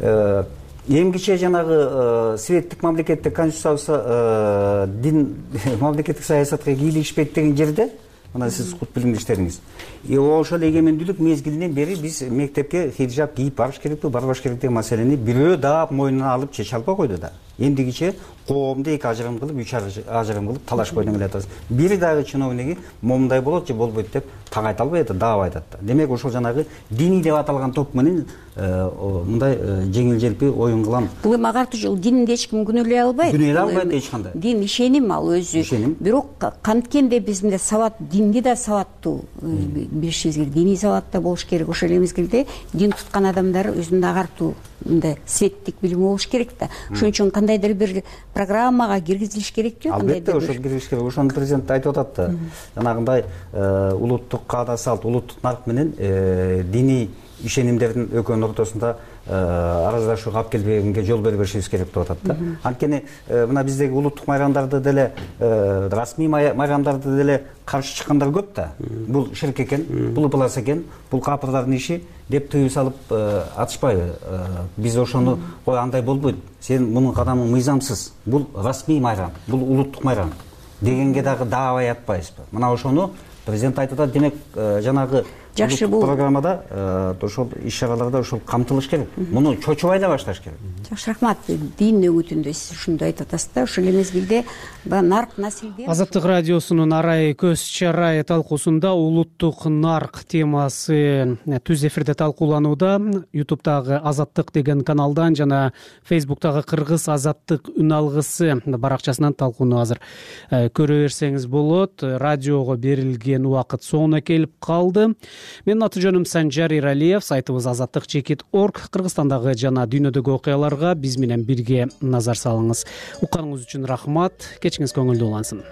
Эң кичээ жанагы светтик мамлекетте конституциясы дин мамлекеттик саясатка кийлигишпейт деген жерде, мына сиз кут билимдиштериңиз. Ошол эгемендүүлүк мезгилинен бери биз мектепке хиджаб кийип барыш керекпи, барбаш керек деген маселени бирөө да мойнуна алып чече албай койду да. Эмдигиче коомду эки ажырым кылып, үч ажырым кылып талашпай келе атабыз. Бир дагы чиновниги момундай болот же болбойт деп так айта албайт да, даап айтат да. Демек ошол жанагы диний деп аталган топ менен мындай жеңил-желпи оюн кылам. Бул эми агартуу жол динди эч ким күнөөлөй албайт. Күнөөлөй албайт эч кандай. Дин ишеним ал өзү. Бирок канткенде биз мындай сабат, динди да сабаттуу билишибиз керек. Диний сабат да болуш керек. Ошол эле мезгилде дин туткан адамдар өзүнүн агартуу мындай светтик билими болуш керек да. Ошон үчүн кандайдыр бир программага киргизилиш керекпи? Албетте ошол киргизилиш керек. Ошону президент айтып атат да. Жанагындай улуттук каада салт, улуттук нарк менен диний ишенимдердин экөөнүн ортосунда араздашууга алып келбегенге жол бербешибиз керек деп атат да. Анткени мына биздеги улуттук майрамдарды деле, расмий майрамдарды деле каршы чыккандар көп да. Бул ширк экен, бул ыплас экен, бул капырдардын иши деп тыюу салып атышпайбы. Биз ошону кой андай болбойт. Сен мунун кадамың мыйзамсыз. Бул расмий майрам, бул улуттук майрам. дегенге дагы даабай атпайбызбы? Мына ошону президент айтып атат. Демек жанагы жакшы, бул программада ошол иш-чараларда ошол камтылыш керек. Муну чочубай эле башташ керек. Жакшы, рахмат. Дин өгүтүндө сиз ушундай айтып атасыз да. Ошол мезгилде нарк населдер Азаттык радиосунун арай көз чарай талкуусунда улуттук нарк темасы түз эфирде талкууланууда. YouTube'дагы Азаттык деген каналдан жана Facebook'тагы Кыргыз Азаттык үн алгысы баракчасынан талкууну азыр көрө берсеңиз болот. Радиого берилген убакыт соңуна келип калды. Менин аты жөнүм Санжар Иралиев. Сайтыбыз azattik.org. Кыргызстандагы жана дүйнөдөгү окуяларга биз менен бирге назар салыңыз. Укканыңыз үчүн рахмат. Кечиңиз көңүлдүү улансын.